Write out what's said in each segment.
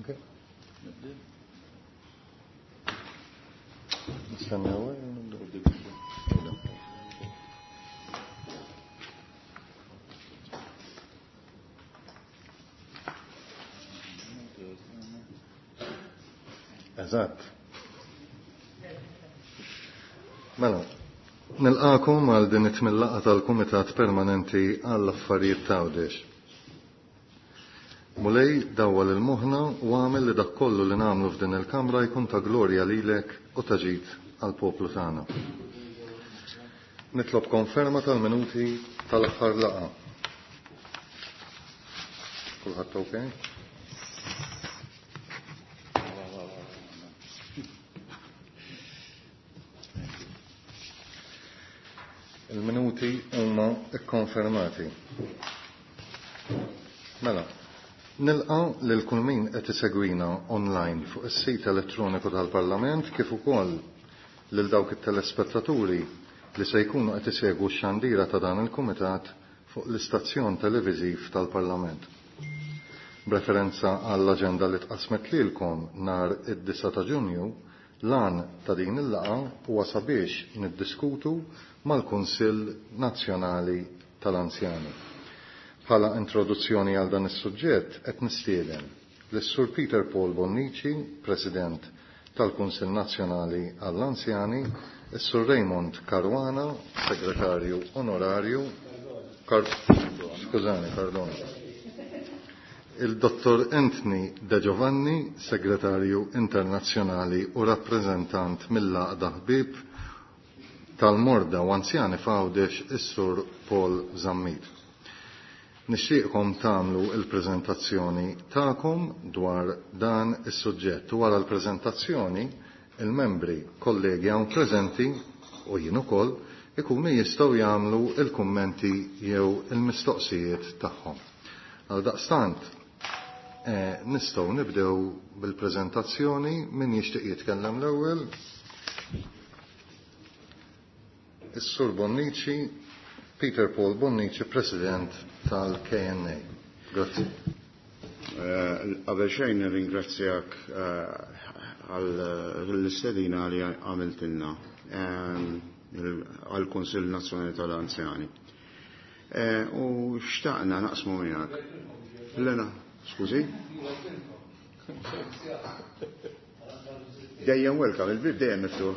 Okay. Nistennew. Eżatt. Mela, nilqakom għal din it-tmien laqgħa tal-Kumitat Permanenti għall-Affarijiet t'Għawdex. Mulej dawwal il-moħħna u għamel li dak kollu li nagħmlu f'din il-kamra jkun ta' glorja lilek u ta' ġid għall-poplu tagħna. Nitlob konferma tal-minuti tal-aħħar laqgħa. Kulħadd okay? Il-minuti huma kkonfermati. Mela, nilqa lil kull min qed isegwina online fuq is-sit elettroniku tal-Parlament kif ukoll lil dawk it-telespettaturi li se jkunu qed isegwu x-xandira ta' dan il-kumitat fuq l-istazzjon televiżiv tal-Parlament. B'referenza għall-aġenda li tqassmet lilkom nhar id-9 ta' Ġunju, l-għan ta' din il-laqgħa huwa sabiex niddiskutu mal-Kunsill Nazzjonali tal-Anzjani. Bħala introduzzjoni għal dan is-suġġett qed nistieden lis-Sur Peter Paul Bonnici, President tal-Kunsill Nazzjonali għall-Anzjani, is-Sur Raymond Caruana, Segretarju Onorarju, skużani, pardon. Il-Dottor Anthony De Giovanni, Segretarju Internazzjonali u rappreżentant mill-Għaqda Ħbieb tal-Morda u Anzjani f'Għawdex, is-Sur Paul Zammit. Nixtieqkom tagħmlu l-preżentazzjoni tagħkom dwar dan is-suġġett. U wara l-preżentazzjoni, il-membri kollegi hawn preżenti u jien ukoll ikunu jistgħu jagħmlu l-kummenti jew il-mistoqsijiet tagħhom. Għaldaqstant, nistgħu nibdew bil-preżentazzjoni. Min jixtieq jitkellem l-ewwel? Is-Sur Bonnici, Peter Paul Bonnici, President tal-KNA. Grazzi. Qabel xejn nirringrazzjak għall-istedina li għamiltilna għall-Kunsill Nazzjonali tal-Anzjani. U xtaqna naqsmu miegħek. Lena, skużi? Dejjem welcome, il-bib dejjem miftuħ.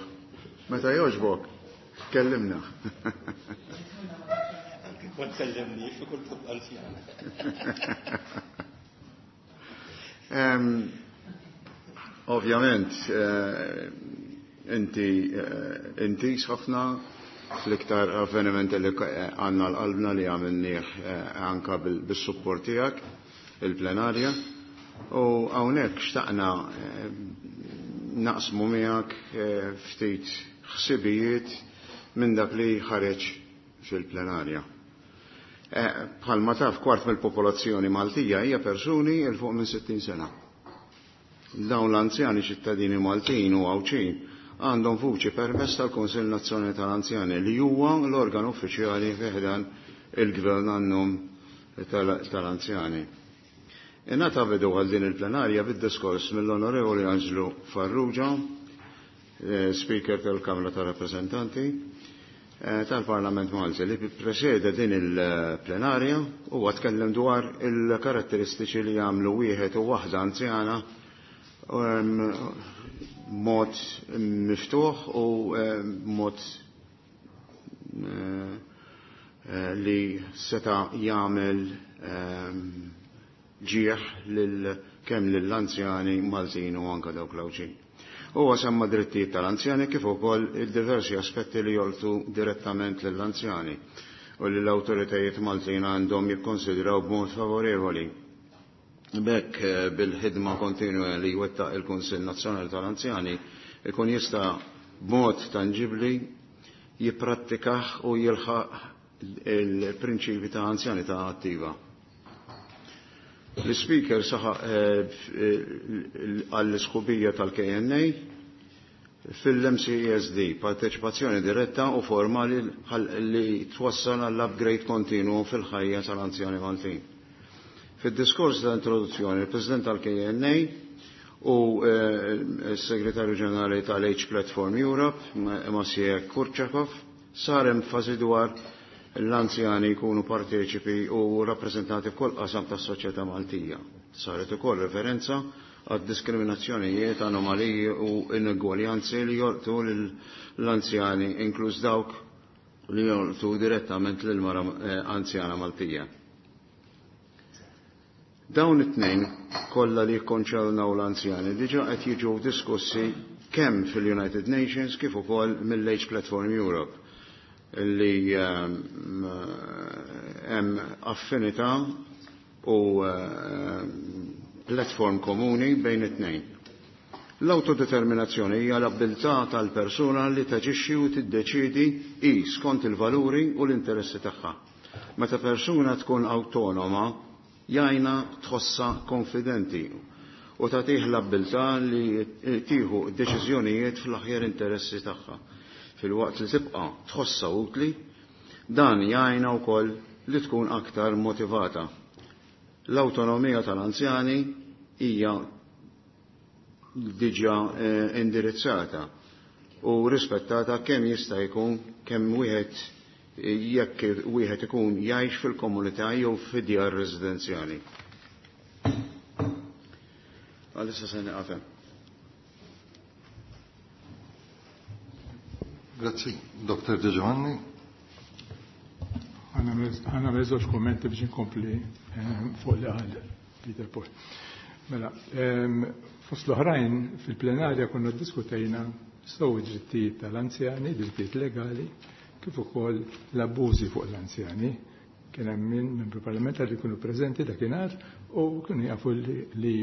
Meta jogħġbok, kellimna. Ma tkellimniex u kull anzjan. Ovvjament, inti intis ħafna fl-iktar avvenimenti li għandna l-qalbna li għamilnieh anka bis-support tiegħek, il-plenarja. U hawnhekk xtaqna naqsmu miegħek ftit ħsibijiet minn dak li ħareġ fil-plenarja. Bħalma taf, kwart mill-popolazzjoni Maltija hija persuni il fuq minn 60 sena. Dawn l-anzjani ċittadini Maltin u Għawdxin għandhom vuċi permezz tal-Kunsill Nazzjonali tal-Anzjani li huwa l-organ uffiċjali fi ħdan il-Gvern għan-nom tal-anzjani. Ingħata bidu għal din il-plenarja bid-diskors mill-Onorevoli Anġlu Farrugia, Speaker tal-Kamra tar-Rappreżentanti tal-Parlament Malti, li presede din il-plenarja u tkellem dwar il-karatteristiċi li jagħmlu wieħed u waħda anzjana mod miftuħ u mod li seta' jagħmel ġieħ kemm lill-anzjani Maltin u anke dawk l-Għawdxin. Huwa semma drittijiet tal-anzjani kif ukoll il-diversi aspetti li jolqtu direttament lill-anzjani u li l-awtoritajiet Maltin għandhom jikkonsidraw b'mod favorevoli. B'hekk bil-ħidma kontinwa li jwettaq il-Kunsill Nazzjonali tal-Anzjani ikun jista' b'mod tanġibli jipprattikah u jilħaq il-prinċipi ta' anzjanità attiva. L-Speaker saħaq għall-isħubija tal-KNA fil-MCESD, parteċipazzjoni diretta u formali li twassal għall-upgrade kontinu fil-ħajja tal-anzjani Maltin. Fid-diskors ta' introduzzjoni, il-President tal-KNA u s-Segretarju Ġenerali tal-Age Platform Europe, Maciej Kurczakov, sar enfasi dwar l-anzjani jkunu parteċipi u rappreżentati f'kull qasam tas-soċjetà Maltija. Saret ukoll referenza għad diskriminazzjonijiet, anomaliji u inegwaljanzi li jolqtu l-anzjani, inkluż dawk li jolqtu direttament lill-mara anzjana Maltija. Dawn it-tnejn kollha li jikkonċernaw l-anzjani diġà qed jiġu diskussi kemm fil-United Nations kif ukoll mill-Age Platform Europe li hemm affinità u platform komuni bejn it-tnejn. L-autodeterminazzjoni hija l-abilità tal-persuna li taġixxi u tiddeċidi hi skont il-valuri u l-interessi tagħha. Meta persuna tkun awtonoma, jgħinha tħossha konfidenti u tagħtih l-abilità li tieħu deċiżjonijiet fl-aħjar interessi tagħha. Filwaqt li tibqa' tħossha utli, dan jgħinha wkoll li tkun aktar motivata. L-awtonomija tal-anzjani hija diġà indirizzata u rispettata kemm jista' jkun kemm wieħed jekk wieħed ikun jgħix fil-komunità jew fid-djar residenzjali. Għalissa se nieqaf hemm. Grazzi, Dr. De Giovanni. Ħa nagħmel żewġ kummenti biex inkompli fuq li qal Peter Paul. Mela, fost l-oħrajn fil-plenarja konna ddiskutejna sew id-drittijiet tal-anzjani, drittijiet legali, kif ukoll l-abbużi fuq l-anzjani. Kien hemm min membru parlamentari li kienu preżenti dakinhar u kienu jafu li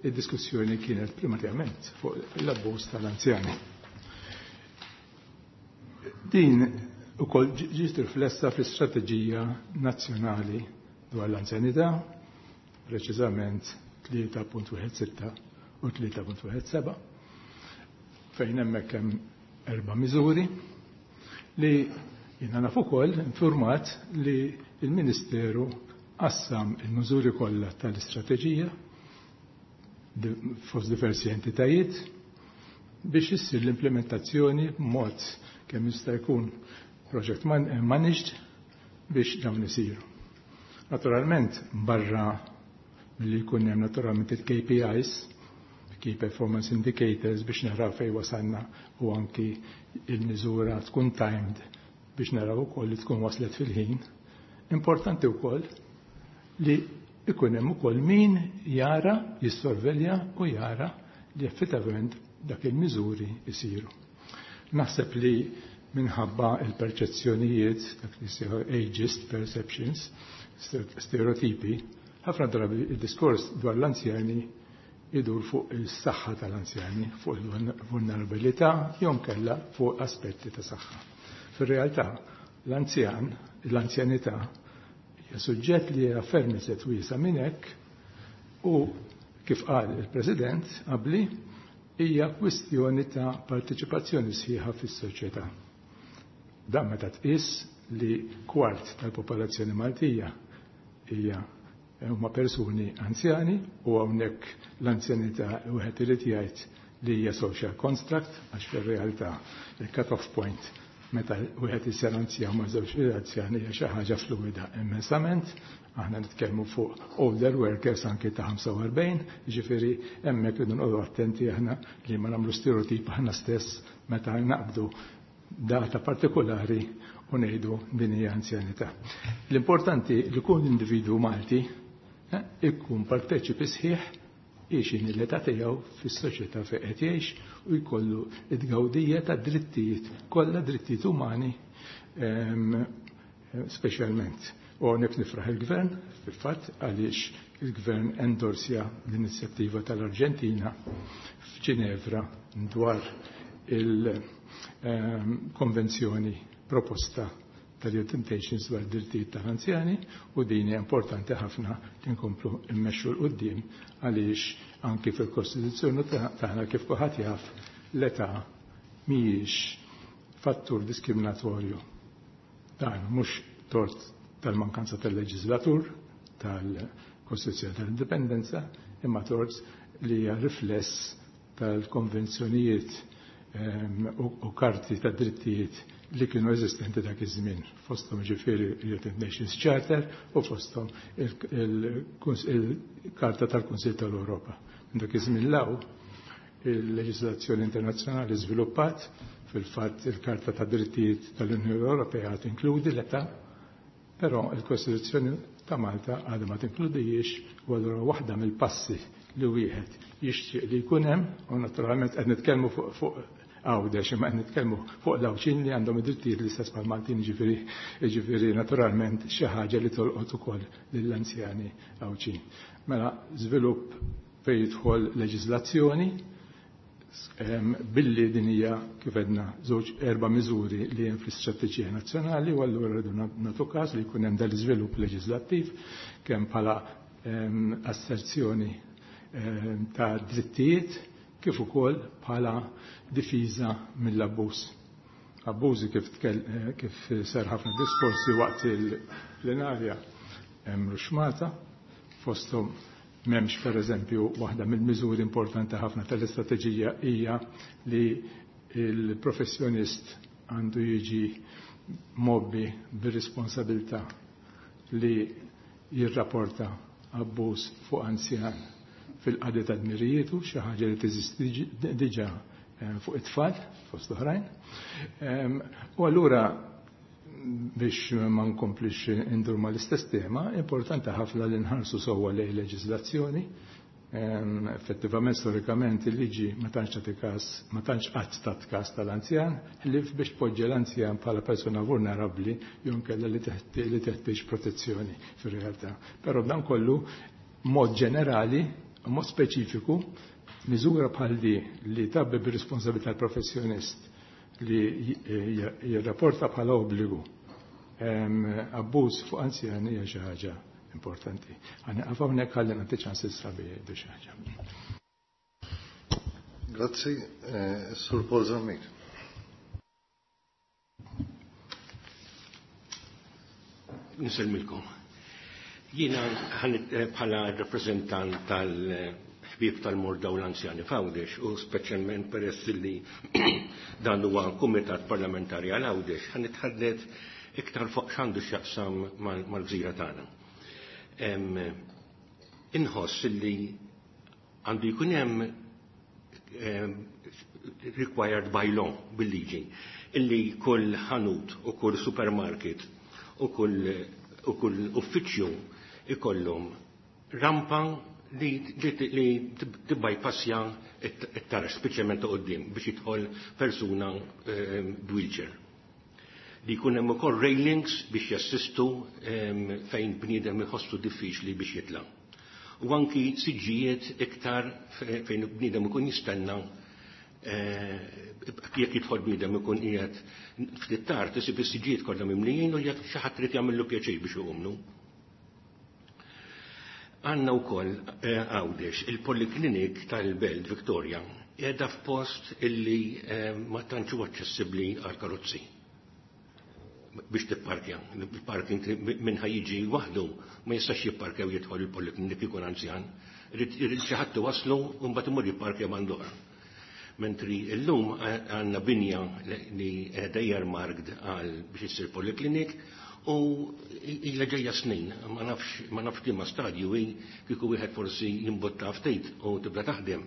id-diskussjoni kienet primarjament fuq l-abbuż tal-anzjani. Din ukoll ġiet riflessa fl-istrateġija nazzjonali dwar l-anzjanità, preċiżament 3.16 u 3.17, fejn hemmhekk hemm 4 miżuri li jiena naf ukoll informat li il-Ministeru qassam il-miżuri kollha tal-istrateġija fost diversi entitajiet biex issir l-implementazzjoni b'mod kemm jista' jkun project managed biex dawn isiru. Naturalment, barra milli jkun hemm naturalment il-KPIs, Key Performance Indicators, biex naraw fejn wasalna u anki il-miżura tkun timed biex naraw ukoll li tkun waslet fil-ħin. Importanti wkoll li ikun hemm ukoll min jara, jissorvelja u jara li effettivament dak il-miżuri jsiru. Naħseb li minħabba il-perċezzjonijiet, dak li jsejħu ageist perceptions, stereotipi, ħafna drabi il-diskors dwar l-anzjani idur fuq il-saħħa tal-anzjani, fuq il-vulnerabilità, jew kella fuq aspetti ta' saħħa. Fir-realtà, l-anzjanità hija suġġett li hija ferm iżjed wiesa' minn hekk u kif qal il-President qabli hija kwistjoni ta' parteċipazzjoni sħiħa fis-soċjetà. Dan meta tqis li kwart tal-popolazzjoni Maltija hija huma persuni anzjani u hawnhekk l-anzjanità wieħed irid jgħid li hija social construct għax fir-realtà il-cut-off point meta wieħed isir anzjan ma' żewġ anzjani hija xi ħaġa fluwida immensament. Aħna nitkellmu fuq older workers anke ta' 45, jiġifieri hemmhekk irridu noqogħdu attenti aħna li ma nagħmlu stereotip aħna stess meta naqbdu data partikolari u ngħidu din hija anzjanità. L-importanti li kull individwu Malti ikun parteċipi sħiħ jgħix l-età tiegħu fis-soċjetà fejn qed jgħix u jkollu t-tgawdija ta' drittijiet, kollha drittijiet umani speċjalment. U hawnhekk nifraħ il-Gvern, fil-fatt, għaliex il-Gvern endorsja l-inizjattiva tal-Arġentina f'Ġinevra dwar il-konvenzjoni proposta tal-United Nations dwar drittijiet tal-anzjani u din hija importanti ħafna li nkomplu mmexxu 'l quddiem għaliex anki fil-Kostituzzjoni tagħna kif kulħadd jaf l-età mhijiex fattur diskriminatorju. Dan mhux tort tal-mankanza tal-leġislatur, tal-Kostituzzjoni tal-Indipendenza, imma tort li hija rifless tal-konvenzjonijiet u karti ta' drittijiet li kienu eżistenti dak iż-żmien, fosthom ġifieri United Nations Charter u fosthom il-Karta tal-Kunsill tal-Ewropa. Minn dak iż-żmien law il-leġiżlazzjoni internazzjonali żviluppat, fil-fatt il-Karta ta' Drittijiet tal-Unjoni Ewropea tinkludi l-età, però il-Kostituzzjoni ta' Malta għadha ma tinkludijiex, u allura waħda mill-passi li wieħed jixtieq li jkun hemm, u naturalment qed nitkellmu fuq Għawdex, imma qed nitkellmu fuq l-Għawdxin li għandhom id-drittijiet l-istess bħall-Maltin, jiġifieri naturalment xi ħaġa li tolqot ukoll lill-anzjani Għawdxin. Mela żvilupp fejn jidħol leġiżlazzjoni, billi din hija kif għedna żewġ erba' miżuri li hemm fl-istrateġija nazzjonali, u allura rridu nagħtu każ li jkun hemm dan l-iżvilupp leġislattiv kemm bħala asserzjoni ta' drittijiet kif ukoll bħala difiża mill-abbuż. Abbużi kif sar ħafna diskorsi waqt il-plenarja hemm ruxmata, fosthom m'hemmx pereżempju waħda mill-miżuri importanti ħafna tal-istrateġija hija li l-professjonist għandu jiġi mobbi bir-responsabilità li jirrapporta abbuż fuq anzjan fil-qadi ta' dmirijietu, xi ħaġa li teżisti diġà fuq it-tfal fost oħrajn. U allura biex ma nkomplix indur mal-istess tema, importanti ħafna li nħarsu sewwa lejn leġiżlazzjoni. Effettivament, storikament, il-liġi ma tantx tagħti każ, ma tantx qatt tat każ tal-anzjan, ħlief biex tpoġġi l-anzjan bħala persuna vulnerabbli jew inkella li teħtieġ protezzjoni fir-realtà. Però b'dan kollu, mod ġenerali, mod speċifiku, miżura bħal di li tabbi bir-responsabilità tal-professjonist li jirrapporta bħala obbligu abbuż fuq anzjani hija xi ħaġa importanti. Ħa nieqaf hawnhekk ħalli nagħti ċans is-sabi jgħidu xi ħaġa. Grazzi, Sur Paul Zammit. Nisellmilkom. Jiena bħala rappreżentant tal-ħbieb tal-morda u l-anzjani f'Għawdex, u speċjalment peress li dan huwa kumitat parlamentari għal Għawdex, ħa nitħaddet iktar fuq x'għandu x'jaqsam mal-gżira tagħna. Inħoss li għandu jkun hemm required by law bil-liġi illi kull ħanut u kull supermarket u kull uffiċċju ikollhom rampa li tibbypassja it-taraġ, speċjalment ta' quddiem biex jidħol persuna b'wheelchair. Li jkun hemm ukoll railings biex jassistu fejn bniedem iħossu diffiċli biex jitla'. U anki siġġijiet iktar fejn bniedem ikun jistenna jekk jidħol bniedem ikun qiegħed ftit tard isib is-siġġijiet kollha mimlijin u jekk xi ħadd irid jagħmillu pjaċir biex iqumlu. Għandna wkoll Għawdex il-Poliklinik tal-Belt Victoria qiegħda f'post illi ma tantx huwa aċċessibbli għal karozzi biex tipparkja. Il-parking minn ħajjiġi waħdu ma jistax jipparkja u jidħol il-poliklinik ikun anzjan. Irid xi ħadd iwasslu u mbagħad imur jipparkja band'oħra. Mentri llum għandna binja li qiegħda earmarked għal biex issir poliklinik u ilha ġejja snin, ma nafx liema stadju hi kieku wieħed forsi jimbotta ftit u tibda taħdem.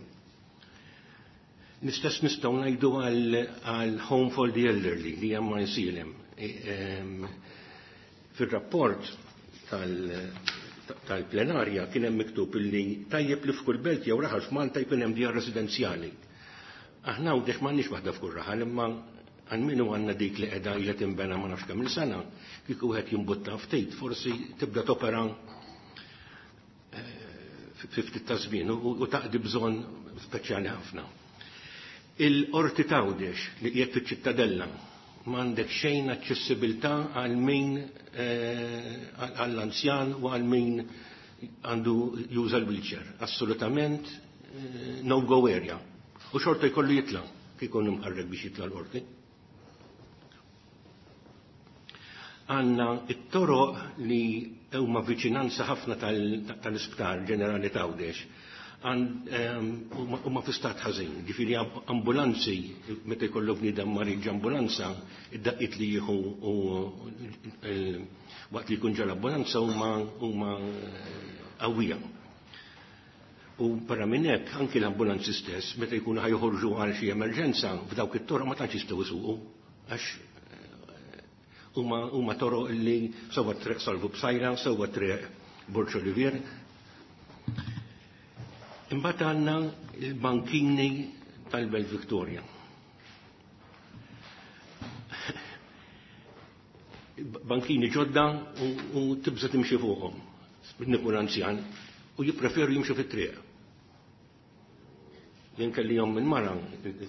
L-istess nistgħu ngħidu għal Home for the Elderly li hemm ma jsilem. Fir-rapport tal-plenarja kien hemm miktub illi tajjeb li f'kull belt jew raħal f'Malta jkun hemm djar residenzjali. Aħna hawnhekk m'għandniex waħda f'kull raħal, imma għal min għandna dik li qiegħda ilha tinbena ma nafx kemm il-sena, kieku wieħed jimbutta ftit, forsi tibda topera fi ftit ta' żmien u taqdi bżonn speċjali ħafna. Il-Qorti t'Għawdex li qiegħed fiċ-Ċittadella m'għandek xejn aċċessibilità għal min għall-anzjan u għal min għandu juża l-wheelchair. Assolutament no-go area. U xorta jkollu jitla' kif ikun imħarrek biex jitla' l-qorti. Għanna it-toroq li huma viċinanza ħafna tal-Isptar Ġenerali t'Għawdex. Huma fi stat ħażin, ġifieri ambulanzi meta jkollok bniedem marid ambulanza, id-daqqiet li jieħu u waqt li jkun ġol ambulanza huma qawwija. U barra minn hekk anki l-ambulanzi stess meta jkunu ħa joħorġu għal xi emerġenza f'dawk it-toroq ma tantx jistgħu jsuqu għax huma toroq li sewwa triq Salvu Psaila, sewwa triq Borġ Olivier. Imbagħad għandna l-bankini tal-Belt Victoria. Bankini ġodda u tibża timxi fuqhom. Nikun anzjan u jippreferu jimxu fit-triq. Jien kelli jom minn mara,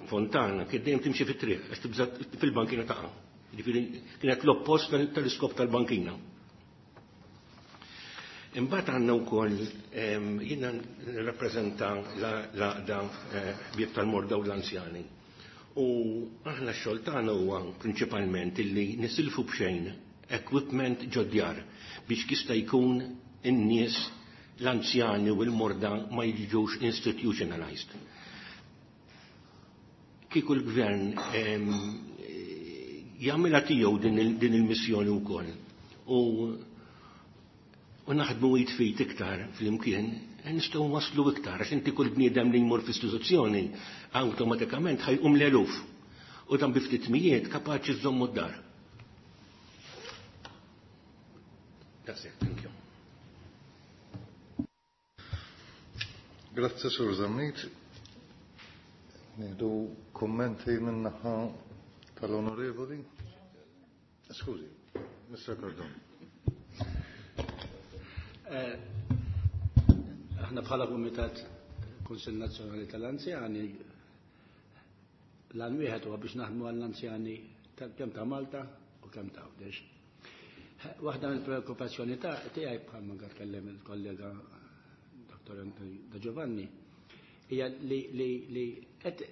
fontana, kien dejjem timxi fit-triq, għax tibża fil-bankina taqa'. Ġifieri kienet l-oppost tal-iskop tal-bankina. Imbagħad għandna wkoll jiena nirrappreżenta l-għaqda ħbieb tal-morda u l-anzjani. U aħna x-xogħol tagħna huwa prinċipalment illi nisilfu b'xejn equipment ġod-djar biex jista' jkun in-nies l-anzjani u l-morda ma jiġux institutionalized. Kieku l-gvern jagħmilha tiegħu din il-missjoni wkoll u naħdmu jitfit iktar fl-imkien, nistgħu waslu iktar, għax inti kull bniedem li jmur f'istituzzjoni awtomatikament ħajqum l-eluf. U dan bi ftit mijiet kapaċi żommu d-dar. That's it, thank you. Grazzi, Sur Zammit. Nieħdu kummenti min-naħa tal-onorevoli. Skużi, Mr. Cardone. Aħna bħala Kumitat Kunsill Nazzjonali tal-Anzjani l-għan wieħed huwa biex naħdmu għall-anzjani kemm ta' Malta u kemm ta' Għawdex. Waħda mill-preokkupazzjoni ta' tiegħi bħalma tkellem il-kollega Dr. Da Giovanni hija li qed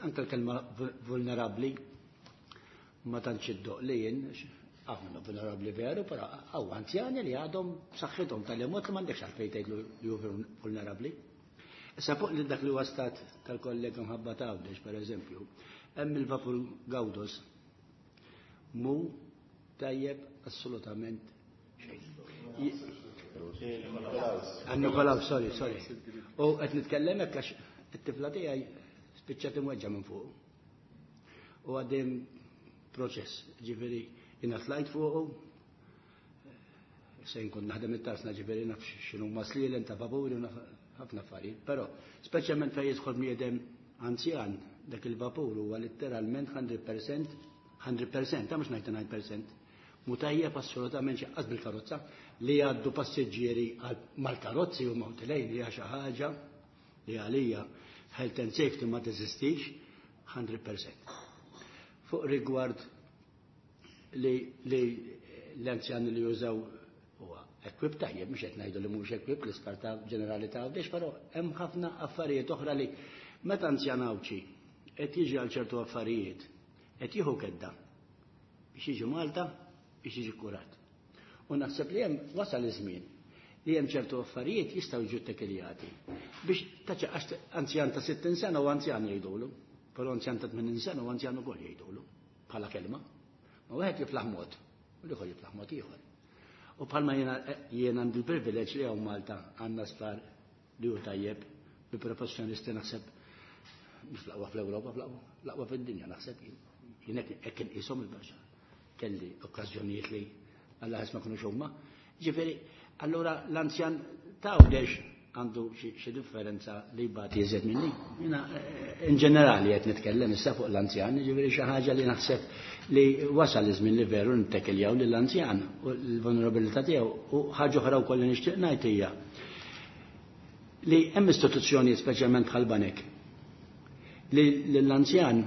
anke l-kelma vulnerabbli ma tantx iddoq li jien aħna vulnerabbli veru, però hawn anzjani li għadhom b'saħħithom tal-mod li m'għandekx għalfejn tgħidlu li hu vulnerabbli. Issa fuq li dak li huwa stat tal-kollega mħabba ta' Għawdex, pereżempju, hemm il-vapur Gawdos mu tajjeb assolutament xejn. Nikolaw, sorry, sorry. U qed nitkellem hekk għax it-tifla tiegħi spiċċat imweġġa minn fuq. U għaddejjem proċess, ġifieri jiena tlajt fuqu, se nkun naħdem it-tarsna ġifieri naf x'inhu ma slielen ta' vapuri u naf ħafna affarijiet, però speċjalment fejn jidħol bniedem anzjan dak il-vapur huwa letteralment 100%, 100%, ta' mhux 99%. Mutajjeb assolutament xi qas bil-karozza li jgħaddu passiġġieri mal-karozzi u mawtilejn hija xi ħaġa li għalija health and safety ma teżistix 100%. Fuq rigward li l-anzjani li jużaw huwa equip tajjeb, mhux qed ngħidu li mhux equip l-isptar ta' ġenerali ta' Għawdex, però hemm ħafna affarijiet oħra li meta anzjan Għawdxi qed jiġi għal ċertu affarijiet qed jieħu kedda biex jiġi Malta biex jiġi kurat. U naħseb li hemm wasal iż-żmien li hemm ċertu affarijiet jistgħu jiġu ttekiljati biex taċ għax anzjan ta' 60 sena u anzjan jgħidulu, però anzjan ta' 80 sena u anzjan ukoll jgħidulu bħala kelma. Ma wieħed jiflaħ mod u l-ieħor jiflaħ mod ieħor. U bħalma jiena għandi l-privileġġ li hawn Malta għandna sptar li hu tajjeb bi professjonisti naħseb mhux l-aqwa fl-Ewropa, l-aqwa fid-dinja naħseb jien. Jien hekk inqishom il-baxxa. Kelli okkażjonijiet li Alla ħass ma kinux huma. Ġifieri, allura l-anzjan ta' Għawdex għandu xi differenza li jbati iżjed minni. Jiena in ġenerali qed nitkellem issa fuq l-anzjan, ġifieri xi ħaġa li naħseb li wasal iż-żmien li veru nittekiljaw lill-anzjan u l-vulnerabilità tiegħu. U ħaġa oħra wkoll li nixtieq ngħid hija li hemm istituzzjonijiet speċjalment bħal banek li l-anzjan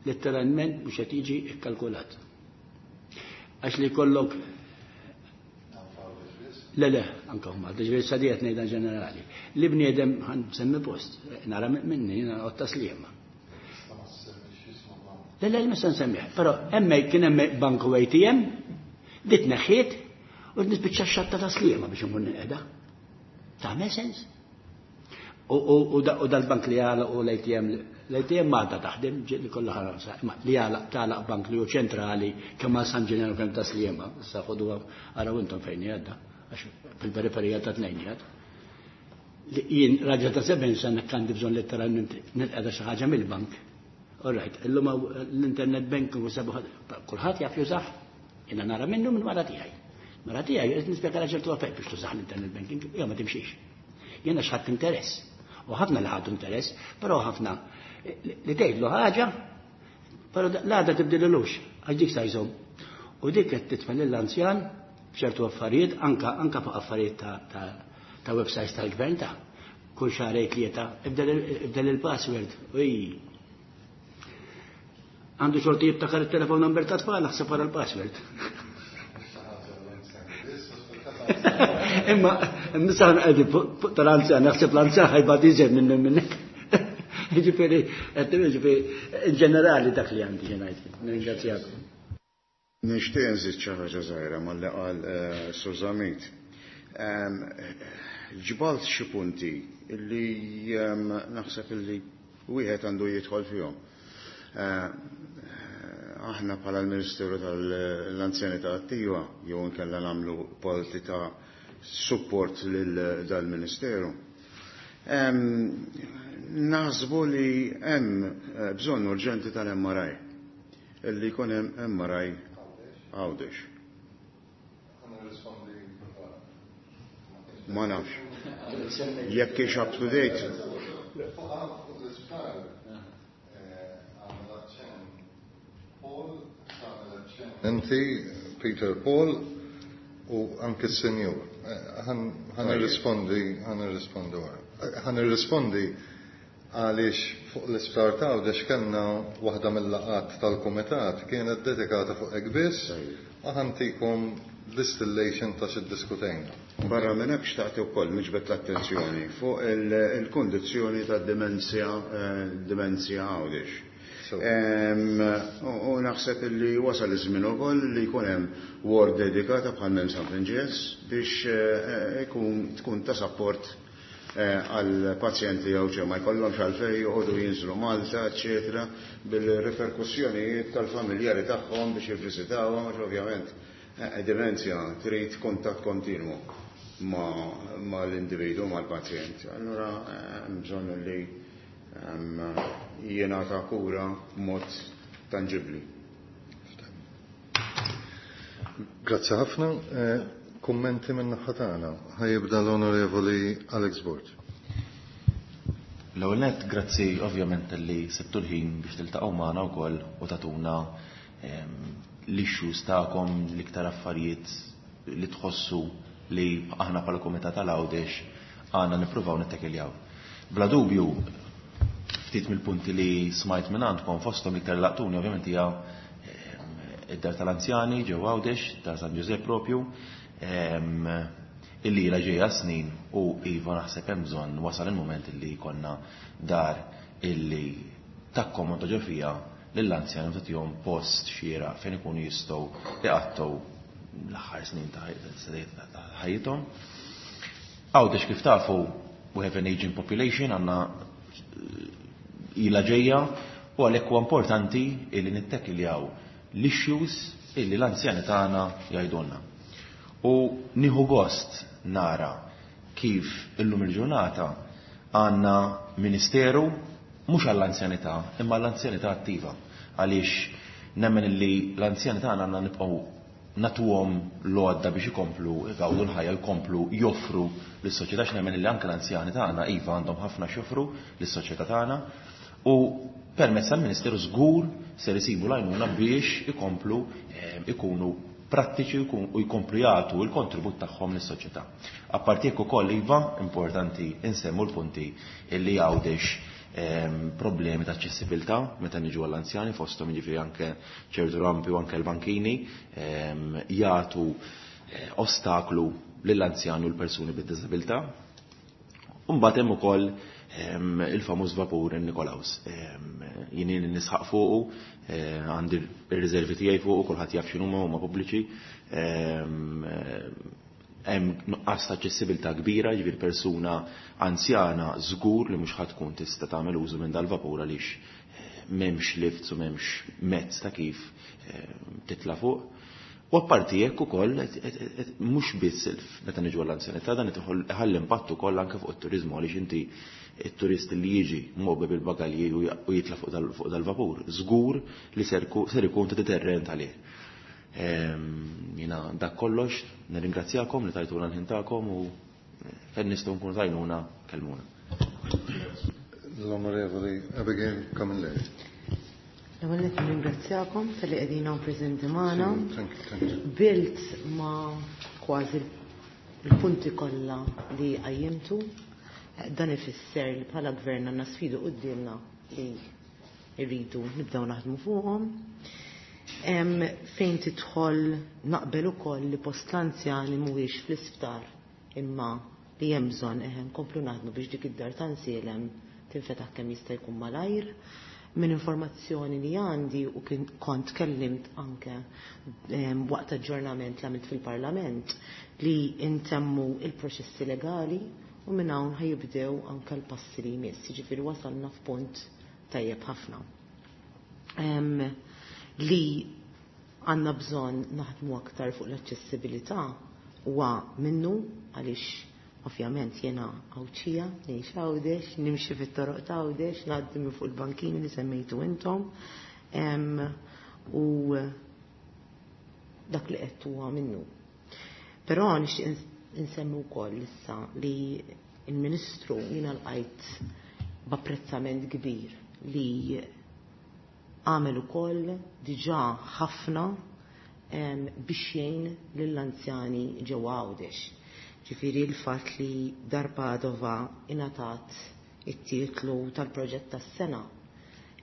letteralment mhux qed jiġi kkalkulat. Għax li jkollok Le, le, anka huma, ġifieri sadiet ngħidha ġenerali. Li bniedem ħan semmi post, nara minni, nara qotta sliema. Le, le, mhux se nsemmih, però hemmhekk kien hemm banku ATM, dit neħħiet u nispiċċa x-xatta ta' sliema biex inkun nqiegħda. Tagħmel sens? U dal-bank li għala u l-ATM, l-ATM Malta taħdem, li kollha ħaransa, imma li għala tagħlaq bank li hu ċentrali kemm għal San Ġenero kemm ta' Sliema, issa ħodu araw intom fejn jgħadda, għax fil-periferija ta' tnejn jgħad. Jien raġel ta' 70 sena għandi bżonn letteralment nilqeda xi ħaġa mill-bank. All right, illum l-internet banking u sabu kulħadd jaf jużah, jiena nara minnu minn mara tiegħi. Mara tiegħi qed nispjega ċertu affarijiet biex tużah l-internet banking, jew ma timxix. Jiena x'ħadd interess. U ħafna li ħadu interess, però ħafna li tgħidlu ħaġa, però l-għada tibdililux, għax dik sa jżomm. U dik qed titfa' lill-anzjan f'ċertu affarijiet, anka fuq affarijiet ta' websites tal-gvern ta' kull xahar tlieta, ibdel il-password. Uj. Għandu xorti jibtakar il-telefon number ta' tfal, ħseb wara l-password. Imma, nisaħan għedi fuq tal-anzjan, naħseb l-anzjan ħajbad iżjed minn minnek. Ġifieri, ġifieri, in ġenerali dak li għandi ġenajt. Nirringrazzjakom. Nixtieq nżid xi ħaġa żgħira malli qal Sur Zammit. Ġbalt xi punti li naħseb illi wieħed għandu jidħol fihom. Aħna bħala l-Ministeru tal-Anzjanità Attiva jew inkella nagħmlu parti ta' support lil dal-Ministeru. Naħsbu li hemm bżonn urġenti tal-MRI, illi jkun hemm MRI Għawdex. Ma nafx. Jekk hix up to date. Inti, Peter Paul, u anke s-senjur. Ħan irrispondi, ħan irrispondi wara. Ħan irrispondi għaliex fuq l-isptar ta' Għawdex kellna waħda mill-laqgħat tal-kumitat kienet dedikata fuq hekk biss, u ħantikom distillation ta' xi ddiskutejna. Barra minn hekk xtaqt ukoll niġbed l-attenzjoni fuq il-kundizzjoni ta' dimenzja Għawdex. U naħseb li wasal iż-żmien ukoll li jkun hemm ward dedikata bħal minn San Vinċenz biex tkun ta' support għal pazjenti jew ġew ma jkollhomx għalfejn joqogħdu jinżlu Malta, eċetera, bil-riperkussjonijiet tal-familjari tagħhom biex jivviżitawhom, għax ovvjament dimenzja trid kuntatt kontinwu mal-individu, mal-pazjent. Allura hemm bżonn li jingħata kura b'mod tanġibbli. Grazzi ħafna. Kummenti minn naħa tagħna. Ħajibda l-Onorevoli Alex Borg. L-ewwel nett, grazzi ovvjament li sibtu l-ħin biex tiltaqgħu magħna wkoll u tagħtuna l-issues tagħkom, l-iktar affarijiet li tħossu li aħna bħala Kumitat tal-Għawdex għandna nippruvaw nittekiljaw. Bla dubju, ftit mill-punti li smajt minn għandkom fosthom l-iktar laqtuni ovvjament hija id-dar tal-anzjani ġewwa Għawdex, dar San Ġużepp propju, illi ilha ġejja snin u iva naħseb hemm bżonn wasal il-mument illi jkollna dar illi takkomoda ġo fiha lill-anzjani u tagħtihom post xieraq fejn ikunu jistgħu iqattgħu l-aħħar snin ta' ħajjithom. Għawdex kif tafu, we have an aging population, għandna ilha ġejja u għalhekk huwa importanti illi nittekiljaw l-issues illi l-anzjani tagħna jgħidulna. U nieħu gost nara kif illum il-ġurnata għandna ministeru mhux għall-anzjanità imma għall-anzjanità attiva, għaliex nemmen illi l-anzjani tagħna għandna nibqgħu natuhom l-għodda biex ikomplu jgawdu l-ħajja, jkomplu joffru lis-soċjetà, għax nemmen illi anke l-anzjani tagħna iva għandhom ħafna x'joffru lis-soċjetà tagħna u permezz tal-Ministeru żgur ser isibu l-għajnuna biex ikomplu ikunu prattiċi u jkomplu jagħtu l-kontribut tagħhom lis-soċjetà. Apparti hekk ukoll iva importanti insemmu l-punti illi Għawdex problemi ta' aċċessibilità meta niġu għall-anzjani, fosthom jiġifieri anke ċertu rampi u anke l-bankini jagħtu ostaklu lill-anzjani u l-persuni bid-diżabilità. U mbagħad hemm ukoll il-famuż vapur Nikolaus. Jien nisħaq fuqu, għandi r-riservi tiegħi fuqu, kulħadd jaf x'inhuma, huma pubbliċi. Hemm nuqqas ta' aċċessibilità kbira, jiġifieri persuna anzjana żgur li mhux ħa tkun tista' tagħmel użu minn dal-vapur għaliex m'hemmx lifts u m'hemmx mezz ta' kif titla' fuq. U apparti hekk ukoll mhux biss meta niġu għall-anzjanità, dan qed iħalli impatt ukoll anke fuq it-turiżmu, għaliex inti it-turist li jiġi mgħobbi bil-bagalji u jitla' fuq dal-vapur, żgur li ser ikun ta' deterrent għalih. Jiena dak kollox, nirringrazzjakom li tajtuna l-ħin tagħkom u fejn nistgħu nkunu tajnuna kellmuna. L-Onorevoli Abigail Camilleri. L-ewwel nett nirringrazzjakom talli qegħdin hawn preżenti magħna. Sì, thank you, thank you. Bilt ma' kważi l-punti kollha li qajjimtu. Dan ifisser li bħala gvern għandna sfidi quddiemna li rridu nibdew naħdmu fuqhom. Fejn tidħol naqbel ukoll li post l-anzjani mhuwiex fl-isptar imma li hemm bżonn eħe nkomplu naħdmu biex dik id-dar ta' nsielem tinfetaħ kemm jista' jkun malajr. Minn informazzjoni li għandi u kien kont kellimt anke waqt aġġornament li għamilt fil-Parlament li intemmu il-proċessi legali u minn hawn ħajibdew anke l-passi li jmiss, jiġifieri wasalna f'punt tajjeb ħafna. Li għandna bżonn naħdmu aktar fuq l-aċċessibilità huwa minnu għaliex ovvjament jiena Għawdxija, ngħix Għawdex, nimxi fit-toroq ta' Għawdex, ngħaddi minn fuq il-bankini li semmejtu intom. U dak li qed huwa minnu. Però nixtieq insemmi wkoll issa li il-Ministru jiena lqajt b'apprezzament kbir li għamel ukoll diġà ħafna biex jgħin lill-anzjani ġewwa Għawdex. Ġifieri l-fatt li Dar Padova ingħatat it-titlu tal-proġett tas-sena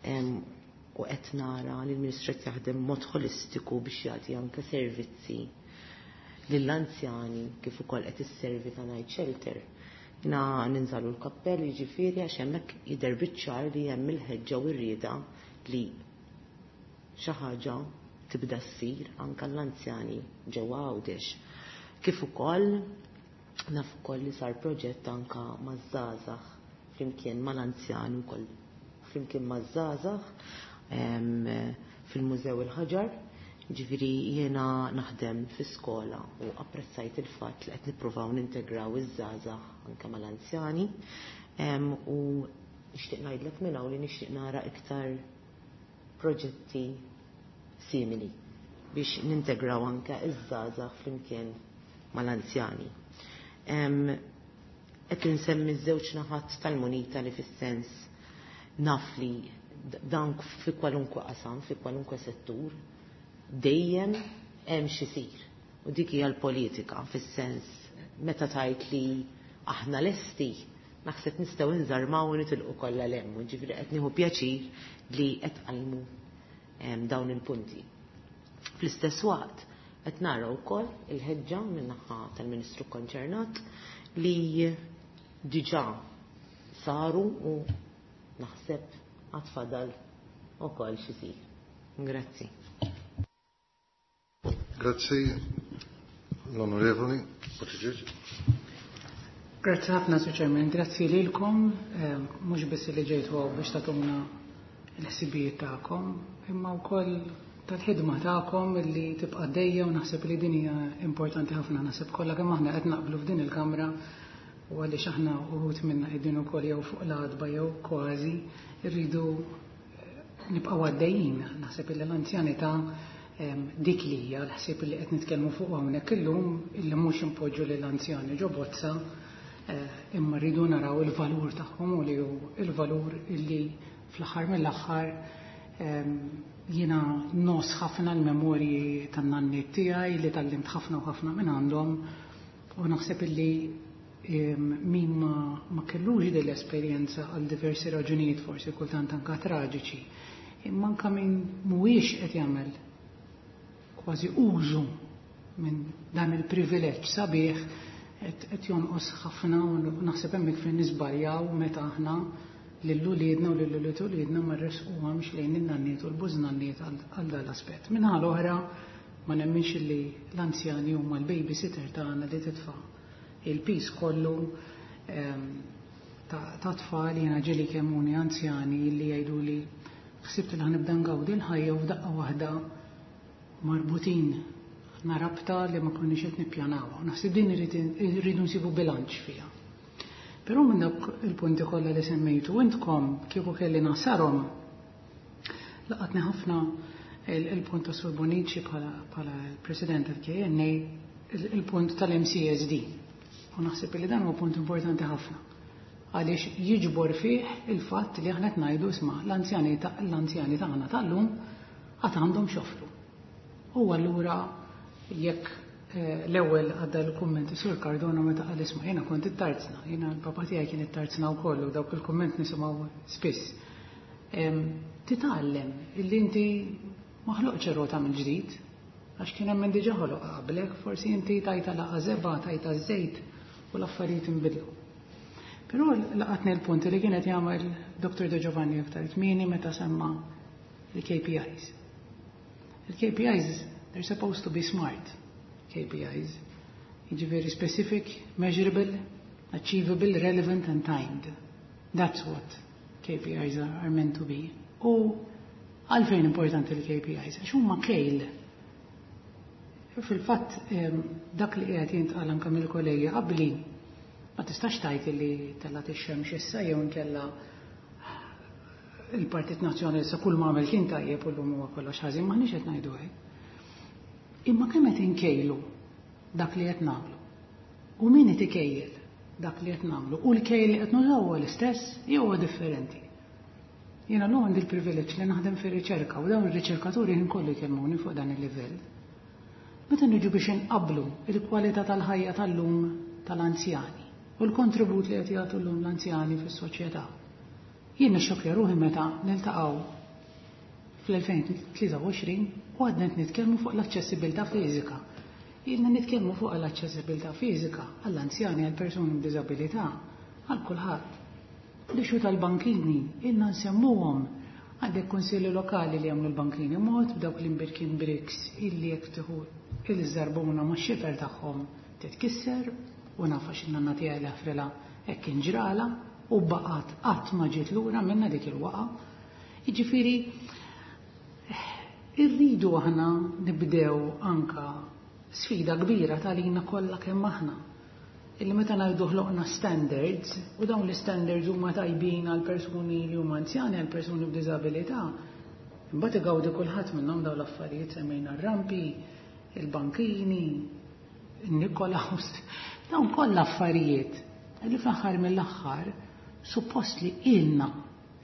u qed nara li l-Ministru qed jaħdem mod holistiku biex jagħti anke servizzi lill-anzjani kif ukoll qed isservi ta' night shelter. Na ninżalu l-kappell jiġifieri għax hemmhekk jidher biċ-ċar li hemm il-ħeġġa u r-rieda li xi ħaġa tibda ssir anke l-anzjani ġewwa Għawdex. Kif ukoll naf ukoll li sar proġett anke maż-żgħażagħ flimkien mal-anzjani wkoll flimkien maż-żgħażagħ fil-Mużew il-Ħaġar. Ġifieri jiena naħdem fi skola u apprezzajt il-fatt li qed nippruvaw nintegraw iż-żgħażagħ anke mal-anzjani. U nixtieq ngħidlek minn hawn li nixtieq nara iktar proġetti simili biex nintegraw anke iż-żgħażagħ flimkien mal-anzjani. Qed insemmi ż-żewġ naħat tal-munita li fis-sens naf li dan fi kwalunkwe qasam, fi kwalunkwe settur, dejjem hemm x'isir. U dik hija l-politika fis-sens meta tajt li aħna lesti, naħseb nistgħu nżarmaw u nitilqu kollha 'l hemm. Ġifieri qed nieħu pjaċir li qed tqajmu dawn il-punti. Fl-istess waqt qed nara wkoll il-ħeġġa min-naħa tal-Ministru konċernat li diġà saru u naħseb għad fadal ukoll x'isir. Grazzi. Grazzi l-Onorevoli Buttigieg. Grazzi ħafna, Sir Chairman. Grazzi lilkom, mhux biss li ġejtu hawn biex tagħtuna l-ħsibijiet tagħkom, imma wkoll tal-ħidma tagħkom li tibqa' dejja u naħseb li din hija importanti ħafna. Naħseb kollha kemm aħna qed naqblu f'din il-Kamra u għaliex aħna uħud minna qegħdin ukoll jew fuq l-għatba jew kważi rridu nibqgħu għaddejjin. Naħseb li l-anzjanità dik li hija l-ħsieb li qed nitkellmu fuq hawnhekk illum, illi mhux impoġġu lill-anzjani ġo bozza, imma rridu naraw il-valur tagħhom u li hu il-valur illi fl-aħħar mill-aħħar jiena nos ħafna l-memorji tan-nanniet tiegħi li tallimt ħafna u ħafna minn għandhom, u naħseb illi min ma kellux din l-esperjenza għal diversi raġunijiet forsi kultant anka traġiċi, imma anka min mhuwiex qed jagħmel kważi użu minn dan il-privileġġ sabiħ qed jonqos ħafna, u naħseb hemmhekk fejn nisbarjaw meta aħna lil uliedna u lil ulied uliedna ma rresquhomx lejn in-nanniet u l-bużnanniet għal dan l-aspett. Minħa l-oħra Ma nemminx li l-anzjani huma l-babysitter tagħna li titfa' il-piż kollu ta' tfal. Jiena ġieli kellmuni anzjani li jgħidu li ħsibt li ħa nibda ngawdi l-ħajja u f'daqqa waħda marbutin rabta li ma konniex qed nippjanawha. Naħseb din irridu nsibu bilanċ fiha. Però minn dawk il-punti kollha li semmejtu intkom, kieku kelli nagħsarhom, laqatni ħafna il-punt ta' Sur Bonici bħala President tal-KNA, il-punt tal-MCESD. U naħseb li dan huwa punt importanti ħafna, għaliex jiġbor fih il-fatt li aħna qed ngħidu, isma', l-anzjani tagħna tal-lum għad għandhom x'joffru. U allura jekk l-ewwel għadda l-kumment Sur Cardona meta qal, isma', jiena kont it-tarzna, jiena l-papa tiegħi kien it-tarzna wkoll u dawk il-kumment nisimgħu spiss. Titgħallem illi inti ma ħloqtx rota mill-ġdid, għax kien hemm diġà ħoloq qablek, forsi inti tajtha daqqa żebgħa, tajtha żejt u l-affarijiet inbidlu. Però laqatni l-punt li kienet jagħmel Dr. De Giovanni aktar kmieni meta semma il-KPIs. Il-KPIs, they're supposed to be smart KPIs. Jiġifieri specific, measurable, achievable, relevant and timed. That's what KPIs are meant to be. U għalfejn importanti l-KPIs? Għax huma kejl. Fil-fatt, dak li qiegħed jintqal anke mill-kollegi qabli, ma tistax tgħid li telgħet ix-xemx issa jew inkella il-Partit Nazzjonalista kull ma għamel kien tajjeb u llum huwa kollox ħażin, m'aħniex qed ngħidu hekk. Imma kemm qed inkejlu dak li qed nagħmlu? U min qed ikejjel dak li qed nagħmlu? U l-kejl li qed nużaw huwa l-istess jew huwa differenti? Jiena llum għandi l-privileġġ li naħdem fir-riċerka u dawn ir-riċerkaturi ħin kollu jkellmuni fuq dan il-livell. Meta niġu biex inqablu il-kwalità tal-ħajja tal-lum tal-anzjani u l-kontribut li qed jagħtu llum l-anzjani fis-soċjetà, jien nixxokkja ruħi meta niltaqgħu fl-2023 u għadna qed nitkellmu fuq l-aċċessibilità fiżika. Ilna nitkellmu fuq l-aċċessibilità fiżika għall-anzjani, għall-persuni b'diżabilità, għal kulħadd. L-issue tal-bankini, ilna nsemmuhom. Għandek kunsilli lokali li jagħmlu l-bankini mod b'dawk l-imbirkin bricks illi jekk tieħu il-żarbuna ma' xifer tagħhom titkisser, u naf għax in-nanna tiegħi li ħafrilha hekk kien ġrala u baqgħet qatt ma ġiet lura minna dik il-waqa. Jiġifieri irridu aħna nibdew anka sfida kbira talina kollha kemm aħna, illi meta ngħidu ħloqna standards u dawn l-standards huma tajbin għal persuni li huma anzjani, għal persuni b'diżabilità, imbagħad igawdi kulħadd minnhom dawn l-affarijiet. Semmejna r-rampi, il-bankini, il-Nikolaus, dawn kollha affarijiet li fl-aħħar mill-aħħar suppost li ilna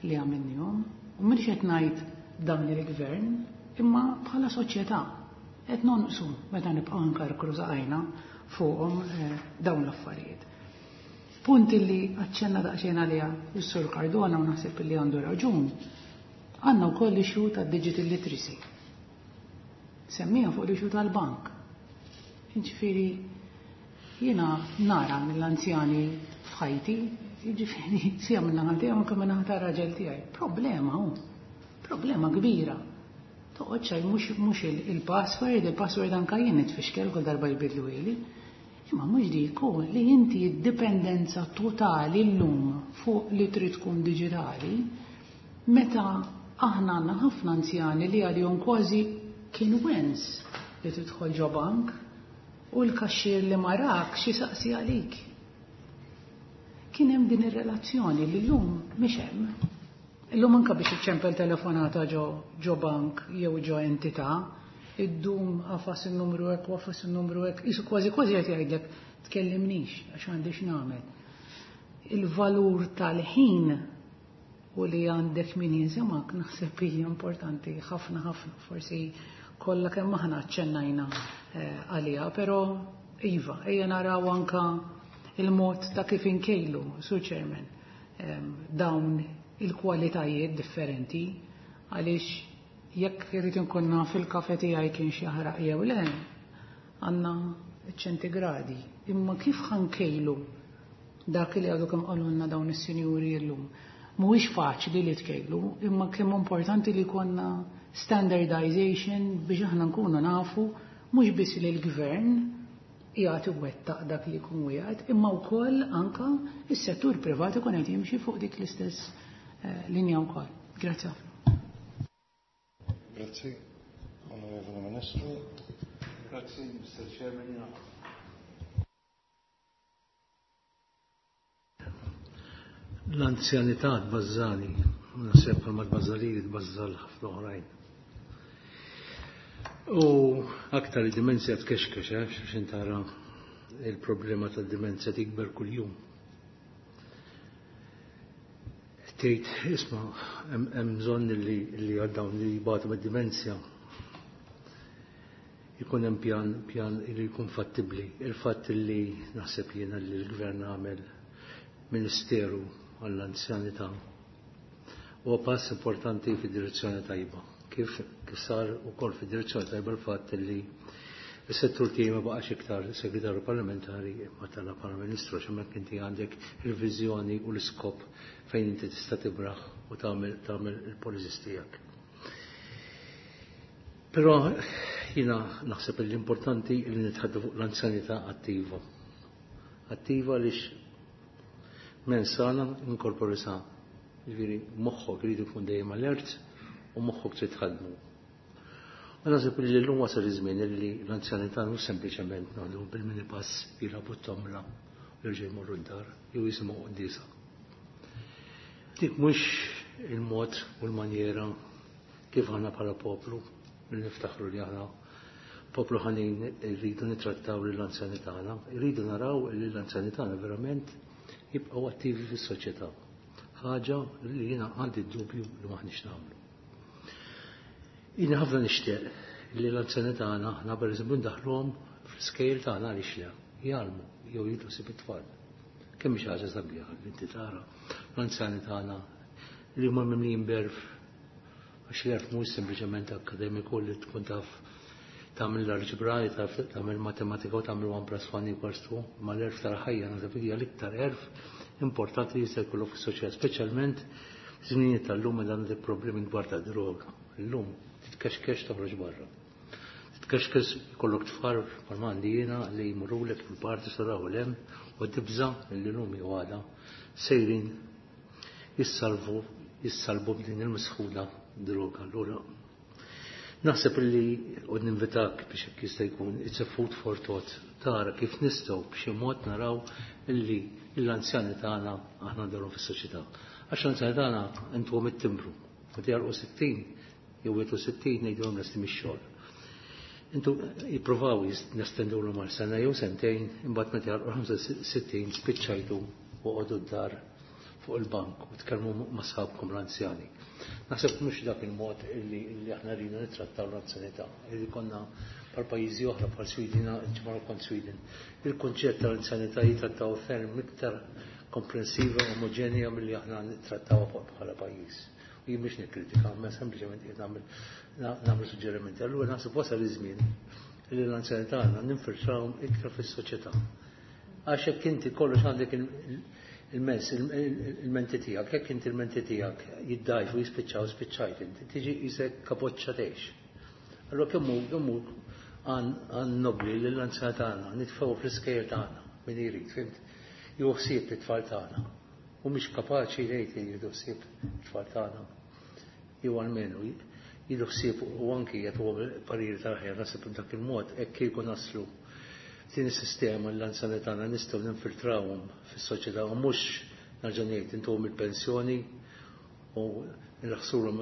li għamilnihom, u mhux qed ngħid dan il-gvern, imma bħala soċjetà qed nonqsu meta nibqgħu nkarkru saqajna fuqhom dawn l-affarijiet. Punt li aċċenna daqsxejn għaliha is-Sur Cardona u naħseb li għandu raġun, għandna wkoll issue ta' digital literacy. Semmija fuq l-issue tal-bank. Jiġifieri jiena nara mill-anzjani f'ħajti, jiġifieri sija minn naħa tiegħi, anke minn naħa tar-raġel tiegħi. Problema hu. Problema kbira. Toqgħod xejn mhux il-password, il-password anke jien nitfixkel kull darba jbidlu. Imma mhux dik hu li inti d-dipendenza totali llum fuq li trid tkun diġitali, meta aħna għandna ħafna anzjani li għalihom kważi kien wens li tidħol ġo bank u l-kaxxier li marak xi saqsi għalik. Kien hemm din ir-relazzjoni li llum mhix hemm. Illum anka biex iċċempel telefonata ġo bank jew ġo entità, iddum agħfas il-numru hekk u agħfas il-numru hekk, qisu kważi kważi qed jgħidlek tkellimnix għax m'għandix nagħmel. Il-valur tal-ħin u li għandek min jinsemak naħseb hija importanti ħafna ħafna, forsi kollha kemm aħna aċċennajna għaliha, però iva, ejja naraw anka il-mod ta' kif inkejlu, Sur Chairman, dawn il-kwalitajiet differenti, għaliex jekk irrid inkun naf il-kafe tiegħi kien xi jaħraq jew le, għandna ċentigradi. Imma kif ħa nkejlu dak li għadu kemm qalulna dawn is-sinjuri llum? Mhuwiex faċli li tkejlu, imma kemm importanti li konna standardization biex aħna nkunu nafu mhux biss li l-gvern qiegħed iwettaq dak li jkun wieħed, imma wkoll anka is-settur privat ikun qed jimxi fuq dik l-istess linja wkoll. Grazzi ħafna. Grazzi, Onorevoli Ministru. Grazzi, Mr. Chairman. L-anzjanità tbażżani, naħseb bħalma tbażżali tbażżal ħafna oħrajn. U aktar id-dimensja tkexkex, għax intara il-problema tad-dimensja tikber kuljum. Tgħid, isma' hemm bżonn li għal dawn li jbatu mid-dimensja jkun hemm pjan li jkun fattibbli. Il-fatt li naħseb jiena li l-gvern għamel ministeru għall-anzjanità huwa pass importanti fid-direzzjoni tajba. Kif sar ukoll fid-direzzjoni tajba l-fatt li s-settur tiegħi ma baqax iktar segretarju parlamentari imma tala bħala ministru, għax hemmhekk inti għandek il-viżjoni u l-iskop fejn inti tista' tibraħ u tagħmel il-policies tiegħek. Però jiena naħseb li l-importanti li nitħaddu fuq l-anzjanità attiva. Attiva għaliex men sana in corpore sana. Ġifieri moħħok irid ikun dejjem alert u moħħok trid tħaddmu. U naħseb li llum wasal iż-żmien li l-anzjanità mhux sempliċement noħdu bil-minipass jilagħbu t-tomla u jerġgħu jmorru d-dar jew jisimgħu quddiesa. Dik mhux il-mod u l-manjera kif aħna bħala poplu li niftaħru li aħna poplu ħanin irridu nittrattaw lill-anzjani tagħna, irridu naraw li l-anzjani tagħna verament jibqgħu attivi fis-soċjetà. Ħaġa li jiena għandi d-dubju li m'aħniex nagħmlu. Jiena ħafna nixtieq li l-anzjani tagħna aħna pereżempju ndaħluhom fl-iskejjel tagħna għaliex le, jgħallmu jew jieħdu ħsieb it-tfal. Kemm hi xi ħaġa sabiħa li inti tara l-anzjani tagħna li huma mimlijin b'għerf, għax l-għerf mhux sempliċement akkademiku li tkun taf tagħmel l-alġebra, taf tagħmel matematika u tagħmel 1 plus 1 equals 2, imma l-għerf tal-ħajja naħseb hija l-iktar għerf importanti li jista' jkollok fis-soċjetà, speċjalment żminijiet tal-lum meta għandek problemi kbar ta' droga. Illum titkexkex toħroġ barra. Titkexkex jkollok tfal bħalma għandi jiena li jmurulek fil-parti saraw l-hemm u tibża' li llum jew għada sejrin jissalvu b'din il-misħuna droga. Allura naħseb li u ninvitak biex hekk jista' jkun it's a food for thought tara kif nistgħu b'xi mod naraw illi l-anzjani tagħna aħna ndarhom fis-soċjetà. Għax l-anzjani tagħna intuhom it-timbru. Meta jgħalqu 60 jew 61 ngħidulhom lesti mix-xogħol. Intu jippruvaw nestendulhom għal sena jew sentejn, imbagħad meta jgħalqu 65 spiċċajtu u qogħdu d-dar fuq il-bank u tkellmu ma' sħabkom l-anzjani. Naħseb mhux dak il-mod illi aħna rridu nittrattaw l-anzjanità. Illi konna bħal pajjiżi oħra bħal Sweden, ġimgħa kont Sweden. Il-kunċett tal-anzjanità jitrattaw ferm iktar komprensiva, omogenja milli aħna nittrattaw bħala pajjiż. U jien mhux nikkritika, ma sempliċement qed nagħmel suġġerimenti. Allura naħseb wasal iż-żmien li l-anzjanità għandna ninfiltrawhom iktar fis-soċjetà. Għax hekk inti kollox għandek il-mens, il-menti tiegħek, jekk inti il-menti tiegħek jiddajfu jispiċċaw, spiċċajt inti, tiġi isek kapoċċa tgħix. Allura kemm hu għan nobli li l-anzjanità tagħna nitfgħu fl-iskejjel tagħna min irid, fimt? Jieħu ħsieb it-tfal tagħna. U mhix kapaċi jgħid li jieħdu ħsieb it-tfal tagħna. Jew almenu jieħdu ħsieb u anki jagħtuhom pariri tal-ħajja naħseb b'dak il-mod hekk kieku naslu din is-sistema l-anzjani tagħna nistgħu ninfiltrawhom fis-soċjetà u mhux nerġa' ngħid intuhom il-pensjoni u nraħsulhom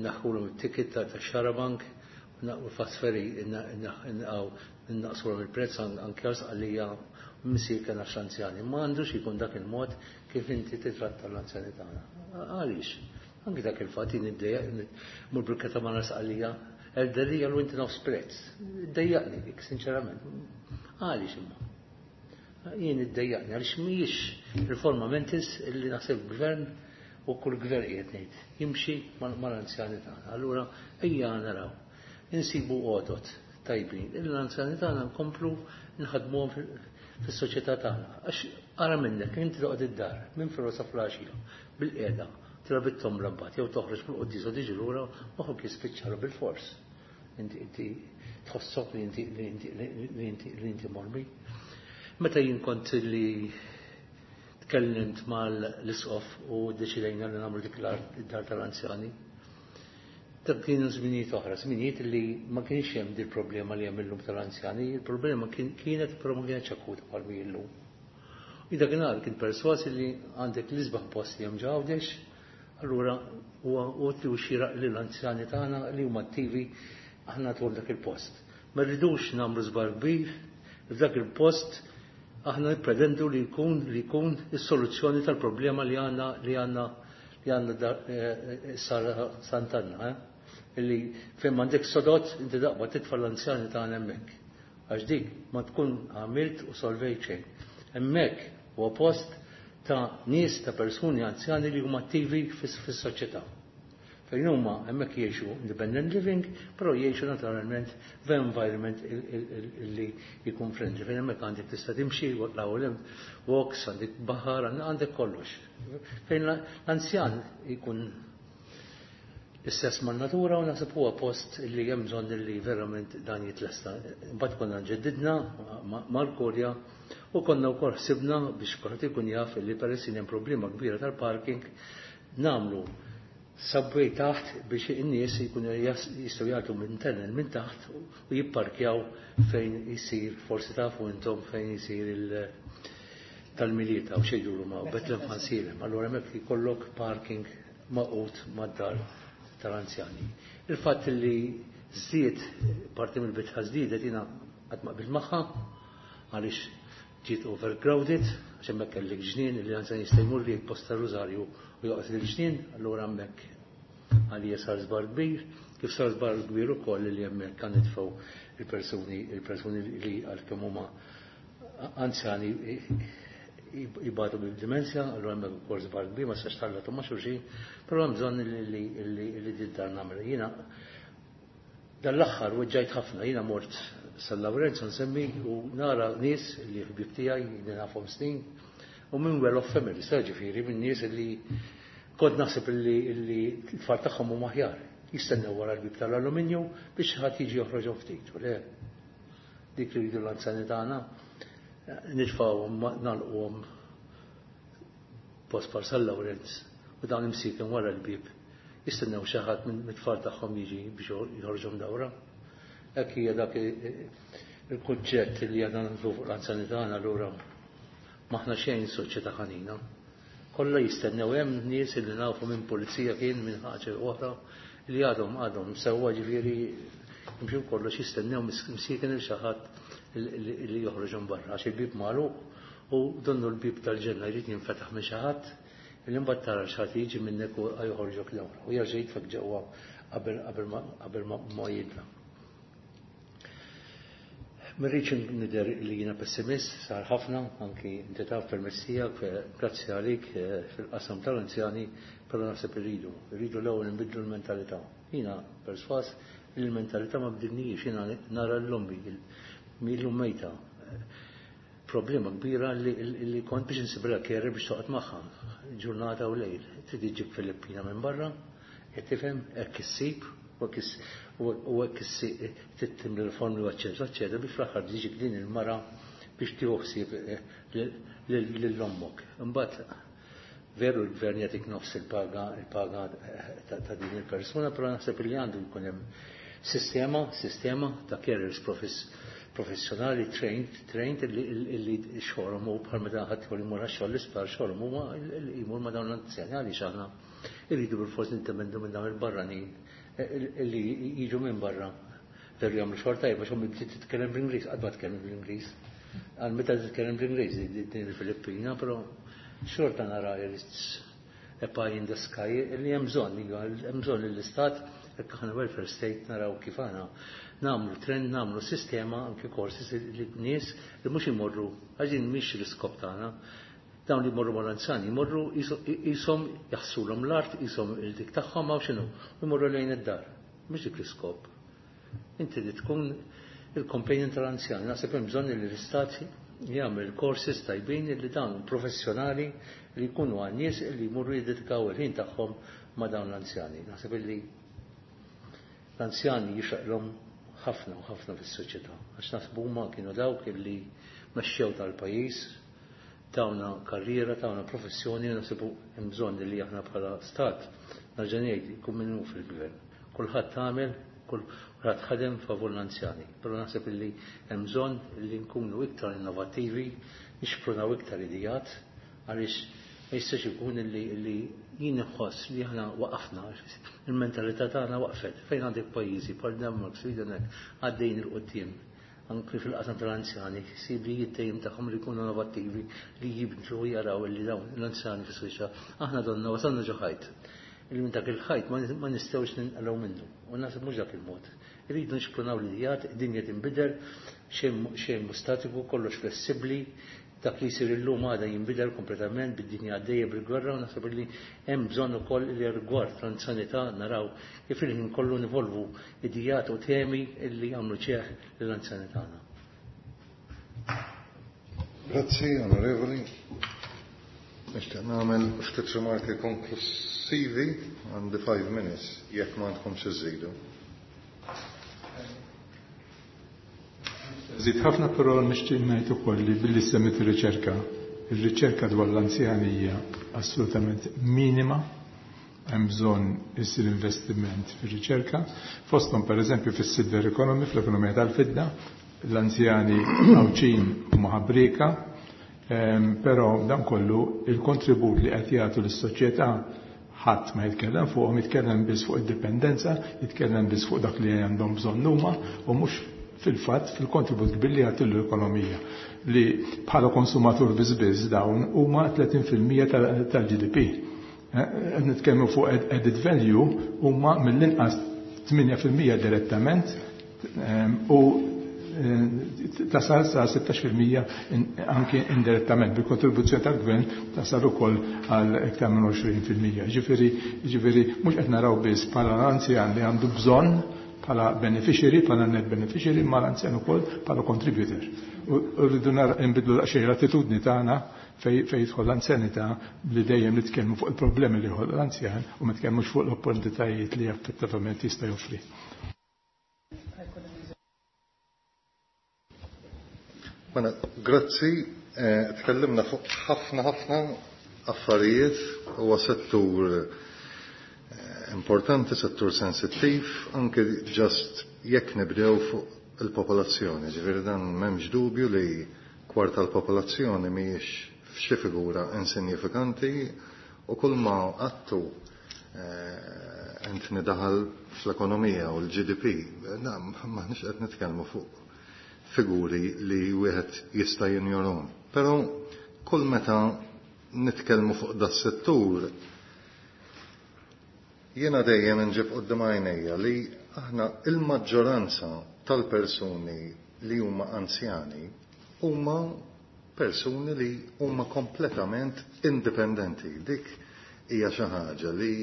naħħulhom it-ticket ta' xarabank u l-fast ferry innaqsulhom il-prezz anke għal sqallija missier kien għax anzjani. Ma għandux ikun dak il-mod kif inti titratta l-anzjani tagħna. Għaliex? Anki dak il-fatt jien iddejjaq mur bil-katamara sqallija erderija l inti nofs prezz. Iddejjaqni dik, sinċerament. Għaliex imma? Jien iddejjaqni għaliex mhijiex riforma mentis illi naħseb gvern u kull gvern qiegħed ngħid jimxi mal-anzjani tagħna. Allura ejja naraw. Insibu għodot tajbin. Il-anzjani tagħna nkomplu nħadmuhom fis-soċjetà tagħna. Għax ara minnek, inti toqgħod id-dar minn filgħodu sa flaxija bil-qiegħda. Tilgħab it-tombla mbagħad jew toħroġ mill-quddies u tiġi lura moħħok jispiċċalu bil-fors. Inti inti tħossok li inti li inti li inti li inti mormi. Meta jien kont li tkellimt mal-isqof u ddeċidejna li nagħmlu dik l-art id-dar tal-anzjani. Dak kienu żminijiet oħra, żminijiet li ma kienx hemm dil problema li hemm illum tal-anzjani, il-problema kienet però ma kienx akuta bħal mi illum. U dakinhar kien perswas li għandek l-isbaħ post li hemm Għawdex, allura huwa utli u xieraq li l-anzjani tagħna li huma attivi aħna nagħtuhom dak il-post. Ma rridux nagħmlu żball kbir f'dak il-post aħna nippretendu li jkun li jkun is-soluzzjoni tal-problema li għandna li għandna li għandna sara Sant'Anna, eh? Illi fejn m'għandek sodot inti daqba titfa' l-anzjani tagħna hemmhekk. Għax dik ma tkun għamilt u solvejt xejn. Hemmhekk huwa post ta' nies ta' persuni anzjani li huma attivi fis-soċjetà. Fejn huma hemmhekk jgħixu independent living, però jgħixu naturalment f'environment li jkun friendly. Fejn hemmhekk għandek tista' timxi, l-ewwel walks, għandek baħar, għandek kollox. Fejn l-anzjan jkun l-istess man-natura u naħseb huwa post li hemm bżonn li verament dan jitlesta. Imbagħad konna nġeddidna mal-Kurja u konna wkoll ħsibna biex kulħadd ikun jaf li peress li hemm problema kbira tal-parking nagħmlu subway taħt biex in-nies jkunu jistgħu jagħtu minn tunnel minn taħt u jipparkjaw fejn isir, forsi tafu intom fejn isir il tal-Milied u xejdulu ma' Bethlehem Ħansielem. Allura hemmhekk jkollok parking magħqud mad-dar tal-anzjani. Il-fatt li żdied parti mill-bitħa żdiedet jiena qatt ma qbilt magħha għaliex ġiet overcrowded, għax hemmhekk kellek ġnien li l-anzjan jista' jmur li jposta rużarju u joqgħod il-ġnien, allura hemmhekk għalija sar żbar kbir, kif sar żbar kbir ukoll li hemmhekk kan nitfgħu il-persuni li għalkemm huma anzjani jibatu bil-dimensja, allura hemmhekk ukoll żbar kbir ma sax tħallatu ma' xulxin, però hemm bżonn li did-dar nagħmel. Jiena dan l-aħħar weġġajt ħafna, jiena mort San Lawrenzo nsemmi u nara nies li ħbib tiegħi li nafhom snin u minn well-off family, ġifieri minn nies li kont naħseb li l-tfal tagħhom huma aħjar. Jistennew wara l-bib tal-alluminju biex ħadd jiġi joħroġhom ftit. U le, dik li jridu l-anzjani tagħna, nitfgħuhom nagħlquhom post bħal San Lawrenz u dawn imsiken wara l-bib jistennew xi ħadd mit-tfal tagħhom jiġi biex joħorġhom dawra. Hekk hija dak il-kunċett li għadna nagħmlu fuq l-anzjani tagħna allura m'aħna xejn soċjetà ħanina. Kollha jistennew hemm nies li nafu minn pulizija kien minn ħaġa oħra li għadhom għadhom sewwa ġifieri jimxu kollox jistennew msiken il xi ħadd li joħroġhom barra għax il-bib magħluq u donnu l-bib tal-ġenna jrid jinfetaħ minn xi ħadd li mbagħad tara xi ħadd jiġi minnek u joħorġok lura u jerġa' jitfek ġewwa qabel ma jidla. Ma rridx nidher li jiena pessimist, sar ħafna, anki inti taf permezz tiegħek, grazzi għalik fil-qasam tal-anzjani, però naħseb irridu, irridu l-ewwel nbidlu l-mentalità. Jiena perswas li l-mentalità ma bdilnijiex, jiena nara l-lombi, illum mejta. Problema kbira li kont biex nsibra carer biex toqgħod magħha, ġurnata u lejl. Trid iġib Filippina minn barra, qed tifhem hekk issib u hekk tittim l-formli u eċċetera, eċċetera, biex fl-aħħar tiġik din il-mara biex tieħu ħsieb lil ommok. Imbagħad veru l-gvern jagħtik nofs il-paga il-paga ta' din il-persuna, però naħseb li għandu jkun hemm sistema ta' carers professjonali trained illi xogħolhom hu bħal meta ħadd jmur għax-xogħol l-isptar xogħolhom huma jmur ma' dawn l-anzjani għaliex aħna irridu bilfors nindependu minn dawn il-barranin illi jiġu minn barra. Veru jagħmlu xogħol tajjeb għax ommi bdiet titkellem bl-Ingliż, qatt ma tkellem bl-Ingliż. Għal meta titkellem bl-Ingliż din il-Filippina, però xorta nara it's a pie in the sky li hemm bżonn, iva, hemm bżonn li l-istat jekk aħna welfare state naraw kif aħna nagħmlu trend, nagħmlu sistema anke courses li nies li mhux imorru għax din mhix l-iskop tagħna. Dawn li jmorru mal-anzjani jmorru qishom jaħsulhom l-art, qishom il-dik tagħhom hawn x'inhu, u jmorru lejn id-dar. Mhux dik l-iskop. Inti li tkun il-companion tal-anzjani, naħseb hemm bżonn li l-istat jagħmel courses tajbin li dawn professjonali li jkunu għan-nies li jmorru jiddedikaw il-ħin tagħhom ma' dawn l-anzjani. Naħseb illi l-anzjani jixraqlhom ħafna u ħafna fis-soċjetà għax naħsbu huma kienu dawk illi mexxew tal-pajjiż, tawna karriera, tawna professjoni, naħsibu hemm bżonn li aħna bħala stat nerġa' ngħid ikun min hu fil-gvern. Kulħadd għamel, kulħadd ħadem favur l-anzjani, però naħseb illi hemm bżonn li nkunu iktar innovattivi, nixprunaw iktar idejat għaliex ma jistax ikun illi jien inħoss li aħna waqafna, il-mentalità tagħna waqfet. Fejn għandek pajjiżi bħal Denmark, Sweden hekk għaddejjin 'il quddiem anki fil-qasam tal-anzjani, ħsibijiet dejjem tagħhom li jkunu innovattivi, li jibdlu u jaraw li dawn l-anzjani fis-soċjetà. Aħna donna wasalna ġo ħajt. Illi minn dak il-ħajt ma nistgħux ninqalgħu minnu. U naħseb mhux dak il-mod. Irridu nixprunaw l-idejat, id-dinja tinbidel, xejn xejn mhu statiku, kollox flessibbli, Dak li jsir illum għada jinbidel kompletament bid-dinja għaddejja bil-gwerra u naħseb li hemm bżonn ukoll li rigward l-anzjanità naraw kif il-ħin kollu nivolvu idejat u temi li jagħmlu ġieħ lill-anzjani tagħna. Grazzi, Onorevoli. Nixtieq nagħmel ftit rimarki konklusivi għandi 5 minutes jekk ma għandkomx iżżidu. Żid ħafna però nixtieq ngħid ukoll li billi semmit ir-riċerka, ir-riċerka dwar l-anzjani hija assolutament minima, hemm bżonn isir investiment fir-riċerka, fosthom pereżempju fis-silver economy, fl-ekonomija tal-fidda, l-anzjani Għawdxin huma ħabrieka, ehm, però dan kollu il-kontribut li qed jagħtu lis-soċjetà Ħadd ma jitkellem fuqhom, jitkellem biss fuq id-dipendenza, jitkellem biss fuq dak li għandhom bżonn huma u mhux fil-fatt fil-kontribut kbir li jagħtu l-ekonomija li bħala konsumatur biss biss dawn huma 30% tal-GDP. Eh, qed nitkellmu fuq added value huma mill-inqas 8% direttament eh, u Eh, tasal sa 16% anke indirettament bil-kontribuzzjoni tal-gvern tasal ukoll għal iktar minn 20%. Ġifieri, ġifieri mhux qed naraw biss bħala l-anzjan li għandu bżonn bħala beneficiary, bħala net beneficiary, ma l-anzjan ukoll bħala contributor. U rridu nbidlu daqsxejn l-attitudni tagħna fej jidħol l-anzjanità li dejjem nitkellmu fuq il-problemi li jħol l-anzjan u ma nitkellmux fuq l-opportunitajiet li effettivament jista' joffri. Mela, grazzi. Eh, tkellimna fuq ħafna ħafna affarijiet huwa settur eh, importanti, settur sensittiv, anke ġast jekk nibdew fuq il-popolazzjoni. Ġifieri dan m'hemmx dubju li kwart tal-popolazzjoni mhijiex f'xi figura insinjifikanti u kull ma għattu eh, Anthony daħal fl-ekonomija u l-GDP, maħniex qed nitkellmu fuq figuri li wieħed jista' jinjorhom. Però kull meta nitkellmu fuq da settur jiena dejjem inġib quddiem għajnejja li aħna il-maġġoranza tal-persuni li huma anzjani huma persuni li huma kompletament indipendenti. Dik hija xi ħaġa li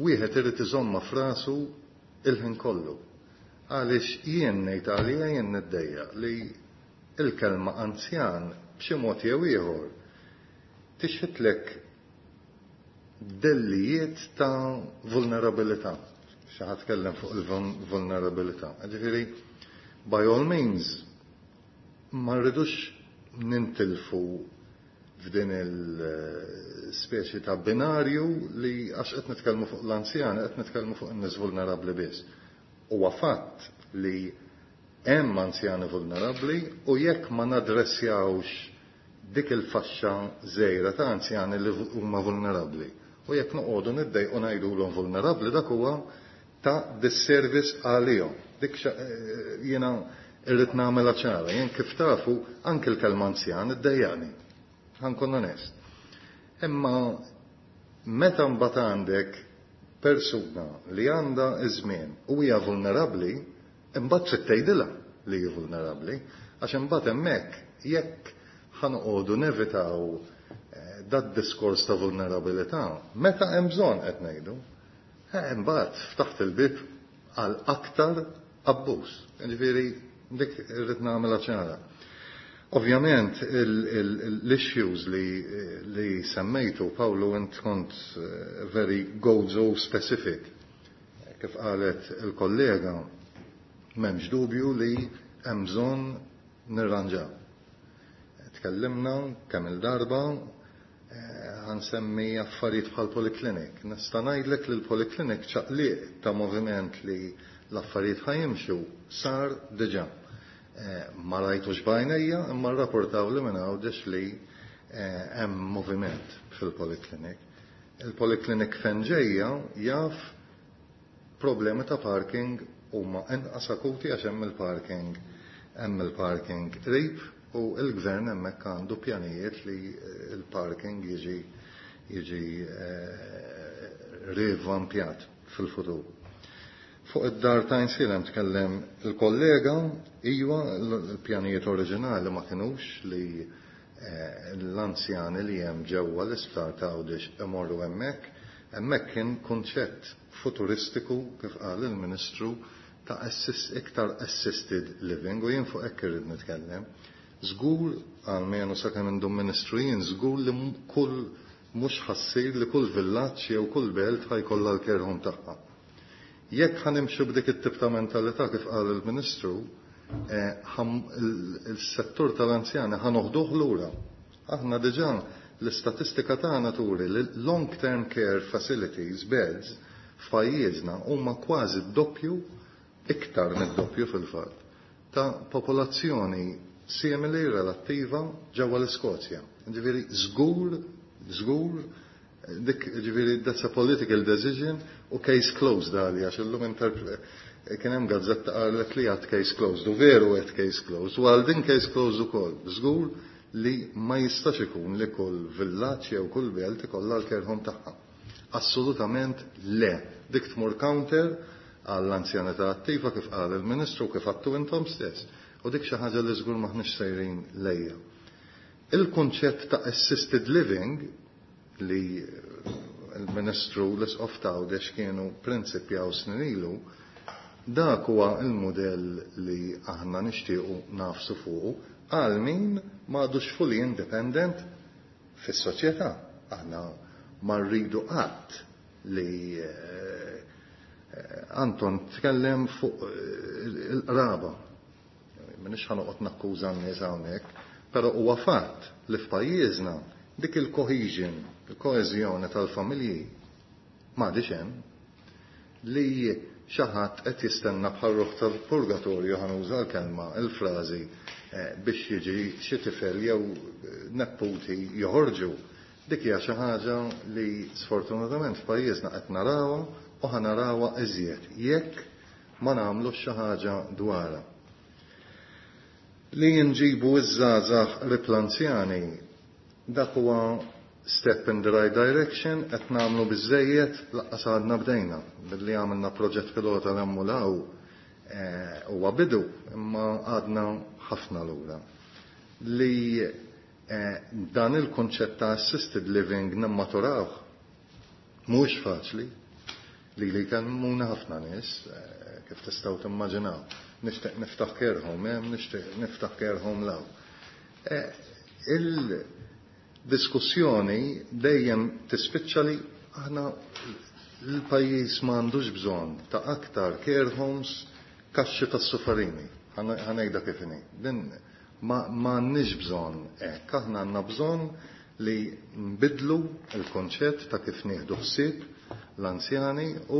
wieħed irid iżomma f'rasu il-ħin kollu. Għaliex jien ngħid għalija jien niddejjaq li l-kelma anzjan b'xi mod jew ieħor tixħitlek dellijiet ta' vulnerabilità. Xi ħadd tkellem fuq il-vulnerabilità. Ġifieri, by all means, ma rridux nintilfu f'din il-speċi ta' binarju li għax qed nitkellmu fuq l-anzjani, qed nitkellmu fuq in-nies vulnerabbli biss. Huwa fatt li hemm anzjani vulnerabbli u jekk ma nadressjawx dik il-faxxa żgħira ta' anzjani li huma vulnerabbli u jekk noqogħdu niddejqu ngħidulhom vulnerabbli dak huwa ta' disservice għalihom. Dik jiena irrid nagħmilha ċara. Jien kif tafu anke l-kelma anzjan iddejjaqni. Ħa nkun onest. Imma meta mbagħad għandek persuna li għandha ż-żmien u hija vulnerabbli, imbagħad trid tgħidilha li hi vulnerabbli, għax imbagħad hemmhekk jekk ħa noqogħdu nevitaw eh, dad-diskors ta' vulnerabilità, meta hemm bżonn qed ngħidu, eh, imbagħad ftaħt il-bib għal aktar abbuż. Ġifieri dik irrid nagħmilha ċara. Ovvjament l-issues li semmejtu, Paolo, int kont very Gozo specific. Kif qalet il-kollega, m'hemmx dubju li hemm bżonn nirranġaw. Tkellimna kemm il-darba, ħa nsemmi affarijiet bħal polyclinic. Nista' ngħidlek li l-polyclinic ċaqliq ta' moviment li l-affarijiet ħa jimxu sar diġà. Ma rajtux b'għajnejja, imma rrapportaw li minn Għawdex li hemm moviment fil-polyclinic. Il-polyclinic fejn ġejja jaf problemi ta' parking huma inqas akuti għax hemm il-parking qrib u l-gvern hemmhekk għandu pjanijiet li il-parking jiġi rivampjat fil-futur. Fuq id-dar ta' Għajnsielem tkellem il-kollega, iva, l-pjanijiet oriġinali ma kienux li l-anzjani li hemm ġewwa l-isptar ta' Għawdex imorru hemmhekk. Hemmhekk kien kunċett futuristiku, kif qal il-Ministru, ta' iktar assisted living u jien fuq hekk irrid nitkellem. Żgur, almenu sakemm indum Ministru jien, żgur li kull mhux ħa ssir li kull villaġġ jew kull belt ħa jkollha l-care home tagħha. Jekk ħa nimxu b'dik it-tip ta' mentalità, kif qal il-Ministru, il-settur tal-anzjani ħa noħduh lura. Aħna diġà l-istatistika tagħna turi li long-term care facilities beds f'pajjiżna huma kważi d-doppju, iktar mid-doppju fil-fatt, ta' popolazzjoni simili relattiva ġewwa l-Iskozja. Ġifieri żgur, żgur, dik ġifieri that's a political decision u case closed għalija, għax illum kien hemm gazzetta qalet li għad case closed u veru għed case closed u għal din case closed ukoll. Żgur li ma jistax ikun li kull villaġġ jew kull belt ikollha l-care home tagħha. Assolutament le. Dik tmur counter għall-anzjanità attiva, kif qal il-Ministru, kif għedtu intom stess. U dik xi ħaġa li żgur maħniex sejrin lejha. Il-kunċett ta' assisted living li il-Ministru, l-Isqof t'Għawdex kienu prinċipjaw snin ilu, dak huwa il-modell li aħna nixtiequ nagħfsu fuqu għal min m'għadux fully independent fis-soċjetà. Aħna ma rridu qatt li Anton tkellem fuq il-qraba. M'iniex ħa noqgħod nakkuża n-nies hawnhekk, però huwa fatt li f'pajjiżna dik il-cohesion, il-koeżjoni tal-familji m'għadix hemm, li xi ħadd qed jistenna bħal ruħ tal-purgatorju, ħa nuża l-kelma, il-frażi, biex jiġi xi tifel jew nepputi joħorġu. Dik hija xi ħaġa li sfortunatament f'pajjiżna qed narawha u ħa narawha iżjed jekk ma nagħmlu xi ħaġa dwarha. Li nġibu iż-żgħażagħ qrib l-anzjani, dak huwa step in the right direction. Qed nagħmlu biżejjed? Lanqas għadna bdejna. Billi għamilna proġett pilota l huwa bidu, imma għadna ħafna lura. Li dan il-konċett ta' assisted living nimmaturawh mhux faċli li kellmuna ħafna nies, kif tistgħu timmaġinaw. Nixtieq niftaħ care home hemm, nixtieq niftaħ care home 'l hawn. Il-diskussjoni dejjem tispiċċa li aħna l-pajjiż m'għandux bżonn ta' aktar care homes, kaxxi tas-sufarini. Ħa ngħidha kif inhi. Din ma għandniex bżonn hekk, aħna għandna bżonn li nbidlu il-konċett ta' kif nieħdu ħsieb l-anzjani u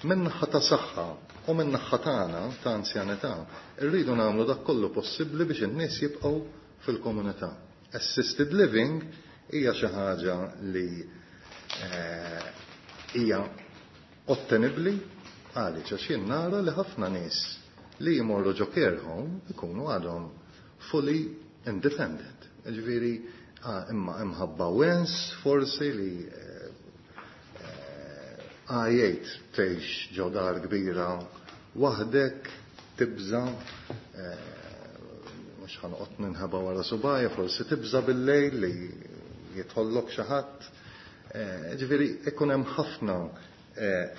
min-naħa ta' saħħa u min-naħa tagħna ta' anzjanità irridu nagħmlu dak kollu possibbli biex in-nies jibqgħu fil-komunità. Assisted living hija xi ħaġa li hija ottenibbli għaliex għax jien nara li ħafna nies li jmorru ġo care home ikunu għadhom fully independent. Ġifieri, imma imħabba wens forsi li għajjejt tgħix ġo dar kbira waħdek, tibża, mhux ħa noqgħod ninħeba wara subgħajja, forsi tibża bil-lejl li jidħollok xi ħadd. Ġifieri ikun hemm ħafna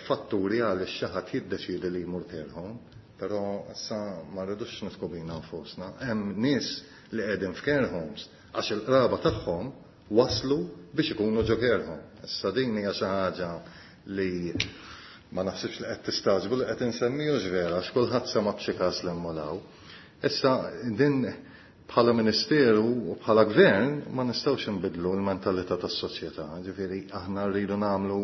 fatturi għal xi ħadd jiddeċiedi li jmur care home. Però issa ma rridux nidħku bina nfusna. Hemm nies li qegħdin f'care homes għax il-qraba tagħhom waslu biex ikunu ġo care home. Issa din hija xi ħaġa li ma naħsibx li qed tistagħġbu li qed insemmi hux vera għax kulħadd sema' b'xi każ 'l hemm u 'l hawn. Issa din bħala ministeru u bħala gvern ma nistgħux inbiddlu l-mentalità tas-soċjetà. Ġifieri aħna rridu nagħmlu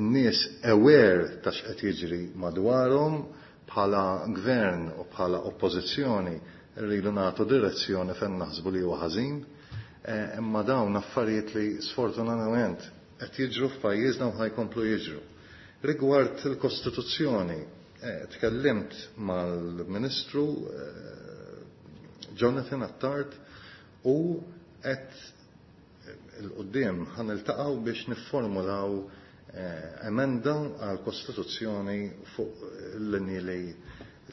n-nies aware ta' x'qed jiġri madwarhom bħala gvern u bħala oppożizzjoni rridu nagħtu direzzjoni fejn naħsbu li huwa ħażin. Imma dawn affarijiet li sfortunatament qed jiġru f'pajjiżna u ħa jkomplu jiġru. Rigward il-Kostituzzjoni, tkellimt mal-Ministru Jonathan Attard u qed 'il quddiem ħa niltaqgħu biex nifformulaw emenda għall-Kostituzzjoni fuq il-linji li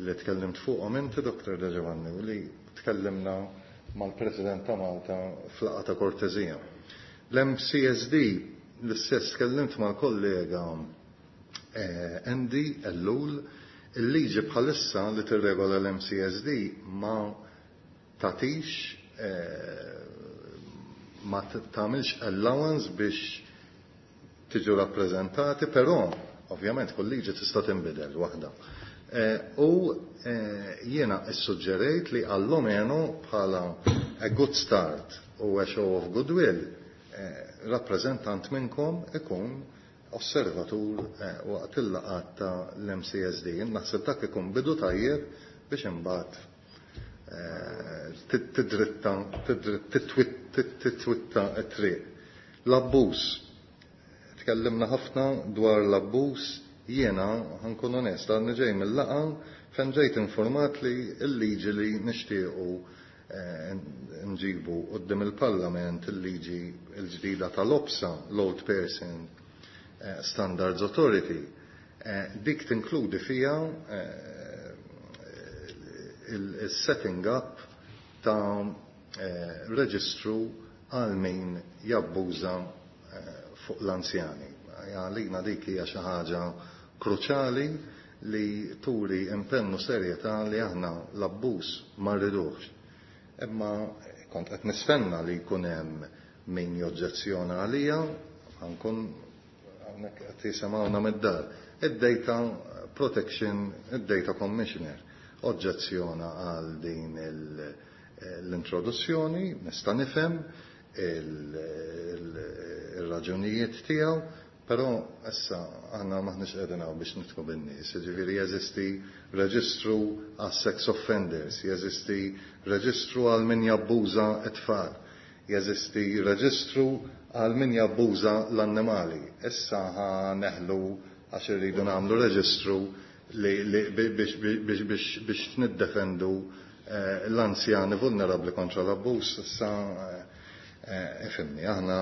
li tkellimt fuqhom inti, Dr. De Giovanni, u li tkellimna mal-President ta' Malta f'laqgħa ta' kortesija. L-MCSD, l-istess tkellimt mal-kollega Andy Ellul, il-liġi bħalissa li tirregola l-MCSD ma tagħtix ma tagħmilx allowance biex tiġu rappreżentati, però ovvjament kull liġi tista' tinbidel waħda. U jiena issuġġerejt li allomeno bħala a good start u a show of goodwill rappreżentant minnkom ikun osservatur waqt il-laqgħat ta' l-MCSD. Naħseb dak ikun bidu tajjeb biex imbagħad tidritta titwitta t-triq. L-abbuż. Tkellimna ħafna dwar l-abbuż. Jiena ħa nkun onest, għadni ġej mill-laqgħa fejn ġejt informat li l-liġi li nixtiequ nġibu quddiem il-Parlament, il-liġi l-ġdida tal-OPSA, l-Old Person Standards Authority, dik tinkludi fija il-setting up ta' reġistru għal min jabbuża fuq l-anzjani. Għalina dik hija xi ħaġa kruċali li turi impenn u serjetà li aħna l-abbuż ma rridux. Imma kont qed nistenna li jkun hemm min joġġezzjona għalija, ħa nkun hawnhekk qed jisimgħuna mid-dar. Id-Data Protection, id-Data Commissioner, oġġezzjona għal din l-introduzzjoni, nista' nifhem il-raġunijiet tiegħu, però issa aħna maħniex qegħdin hawn biex nidħku bin-nies, jiġifieri jeżisti reġistru għas sex offenders, jeżisti reġistru għal min jabbuża t-tfal, jeżisti reġistru għal min jabbuża l-annimali. Issa ħa neħlu għax irridu nagħmlu reġistru li biex niddefendu l-anzjani vulnerabbli kontra l-abbuż. Issa ifhimni, aħna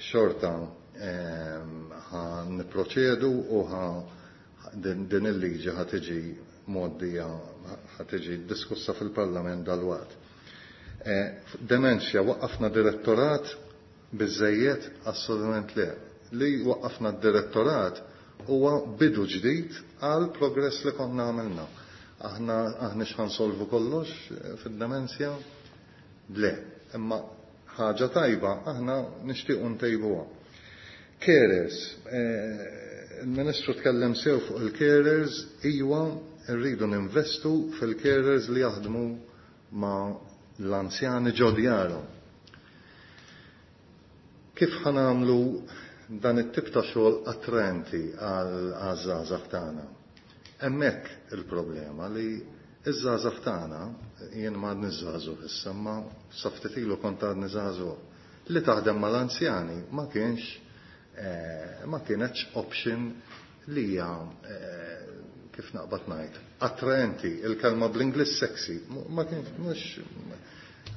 xorta ħa niproċedu u ħa din il-liġi ħa tiġi mgħoddija, ħa tiġi diskussa fil-Parlament dalwaqt. Demenzja, waqqafna direttorat biżejjed? Assolutament le. Li waqqafna d-direttorat huwa bidu ġdid għal progress li konna għamilna. Aħna aħniex ħa nsolvu kollox fid-demenzja? Le, imma ħaġa tajba aħna nixtiequ ntejbuha. Carers, il-Ministru tkellem sew fuq il-carers, iwa rridu ninvestu fil-carers li jaħdmu ma' l-anzjani ġo djarhom. Kif ħa nagħmlu dan it-tip ta' xogħol attraenti għaż-żgħażagħ tagħna? Hemmhekk il-problema li iż-żgħażagħ tagħna, jien ma għadni żagħżugħ issa, ma sa ftit ilu kont għadni żagħżugħ, li taħdem mal-anzjani ma kienx ma kienetx option li hija kif naqbad ngħid, attraenti, il-kelma bl-Ingliż sexy, ma kienx mhux.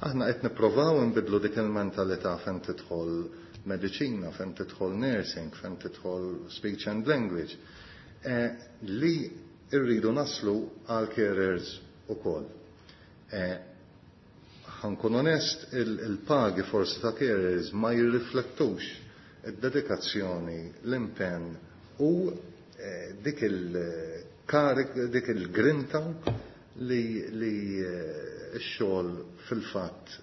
Aħna qed nipprovaw nbidlu dik il-mentalità fejn tidħol mediċina, fejn tidħol nursing, fejn tidħol speech and language, li rridu naslu għal carers ukoll. Ħa nkun onest, il-pagi forsi ta' carers ma jirriflettux id-dedikazzjoni, l-impenn u dik il il-karik, dik il-grinta li x-xogħol fil-fatt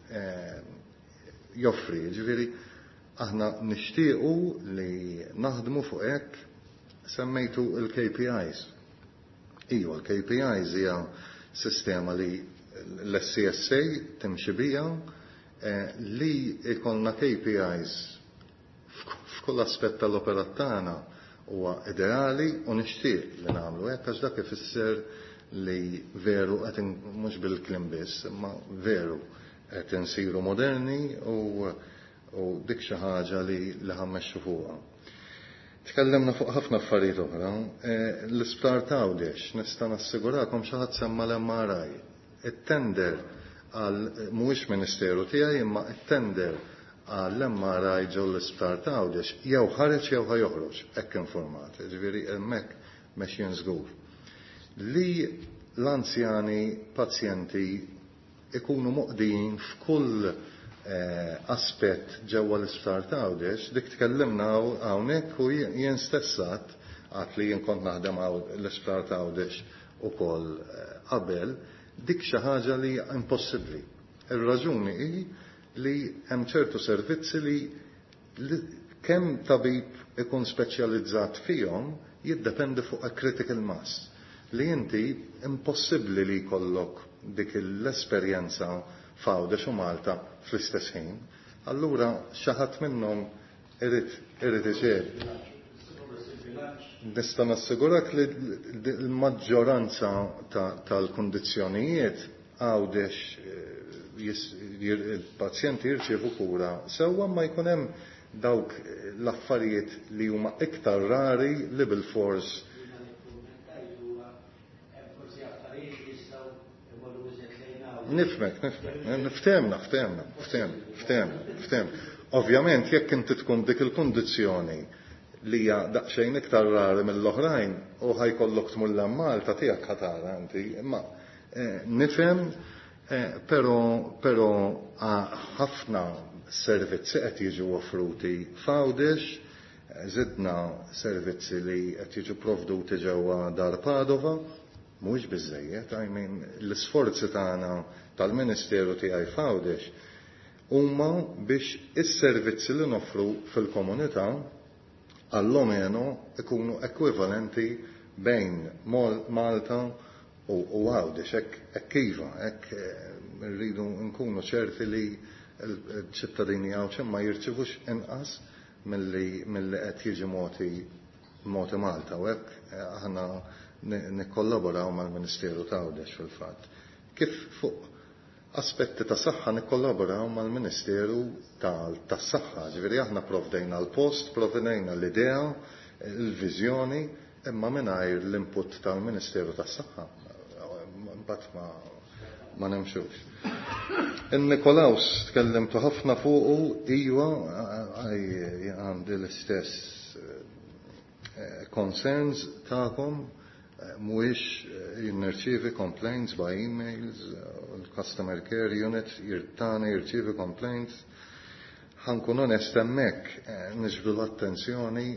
joffri. Ġifieri aħna nixtiequ li naħdmu fuq hekk. Semmejtu il-KPIs. Iva, l-KPIs hija sistema li l-SCSA timxi bija, li jkollna KPIs f'kull aspett tal-operat tagħna huwa ideali u nixtieq li nagħmlu hekk, għax dak ifisser li veru qed, mhux bil-kliem biss, imma veru qed insiru moderni u dik xi ħaġa li ħa mmexxu fuqha. Tkellimna fuq ħafna affarijiet oħra. L-isptar t'Għawdex, nista' nassigurakom, xi ħadd semma l-MRI. It-tender għal, mhuwiex ministeru tiegħi, imma it-tender għall-MRI ġo l-isptar t'Għawdex jew ħareġ jew ħa joħroġ, hekk informat. Ġifieri hemmhekk mexjin żgur. Li l-anzjani pazjenti ikunu moqdijin f'kull aspett ġewwa l-isptar t'Għawdex, dik tkellimna hawnhekk u jien stess għedt li jien kont naħdem l-isptar t'Għawdex ukoll qabel, dik xi ħaġa li impossibbli. Ir-raġuni hi li hemm ċertu servizzi li kemm tabib ikun speċjalizzat fihom jiddependi fuq a critical mass. Li inti impossibbli li jkollok dik l-esperjenza f'Għawdex u Malta fl-istess ħin. Allura xi ħadd minnhom irid iċedi. Nista' nassigurak li l-maġġoranza tal-kundizzjonijiet Għawdex il-pazjenti jirċievu kura sewwa, ma jkun hemm dawk l-affarijiet li huma iktar rari li bil-fors. Nifhmek, nifhmek, niftehmna, ftehmna, ftehmna, ftehmna, ftehmna. Ovvjament, jekk inti tkun dik il-kundizzjoni li hija daqsxejn iktar rari mill-oħrajn u ħa jkollok tmur Malta tiegħek ħa tara inti, imma nifhem, però ħafna servizzi qed jiġu offruti f'Għawdex, żidna servizzi li qed jiġu provduti ġewwa Dar Padova, mhuwiex biżejjed, I mean, l-isforzi tagħna tal-Ministeru tiegħi f'Għawdex huma biex is-servizzi li noffru fil-komunità allomeno ikunu ekwivalenti bejn Malta u Għawdex, hekk iva, hekk rridu nkunu ċerti li l-ċittadini Għawdxin ma jirċivux inqas milli qed jiġi mogħti Malta, u hekk aħna nikkollaboraw mal-Ministeru ta' Għawdex fil-fatt. Kif fuq aspetti ta' saħħa nikkollaboraw mal-Ministeru tas-Saħħa, ġifieri aħna provdejna l-post, provdejna l-idea, il-viżjoni, imma mingħajr l-input tal-Ministeru tas-Saħħa mbagħad ma nemxux. In-Nikolaus tkellimtu ħafna fuqu, iva, għandi l-istess concerns tagħkom, mhuwiex nirċievi complaints by emails, il-customer care unit jirtani jirċievi complaints. Ħa nkun onest hemmhekk, niġbdu l-attenzjoni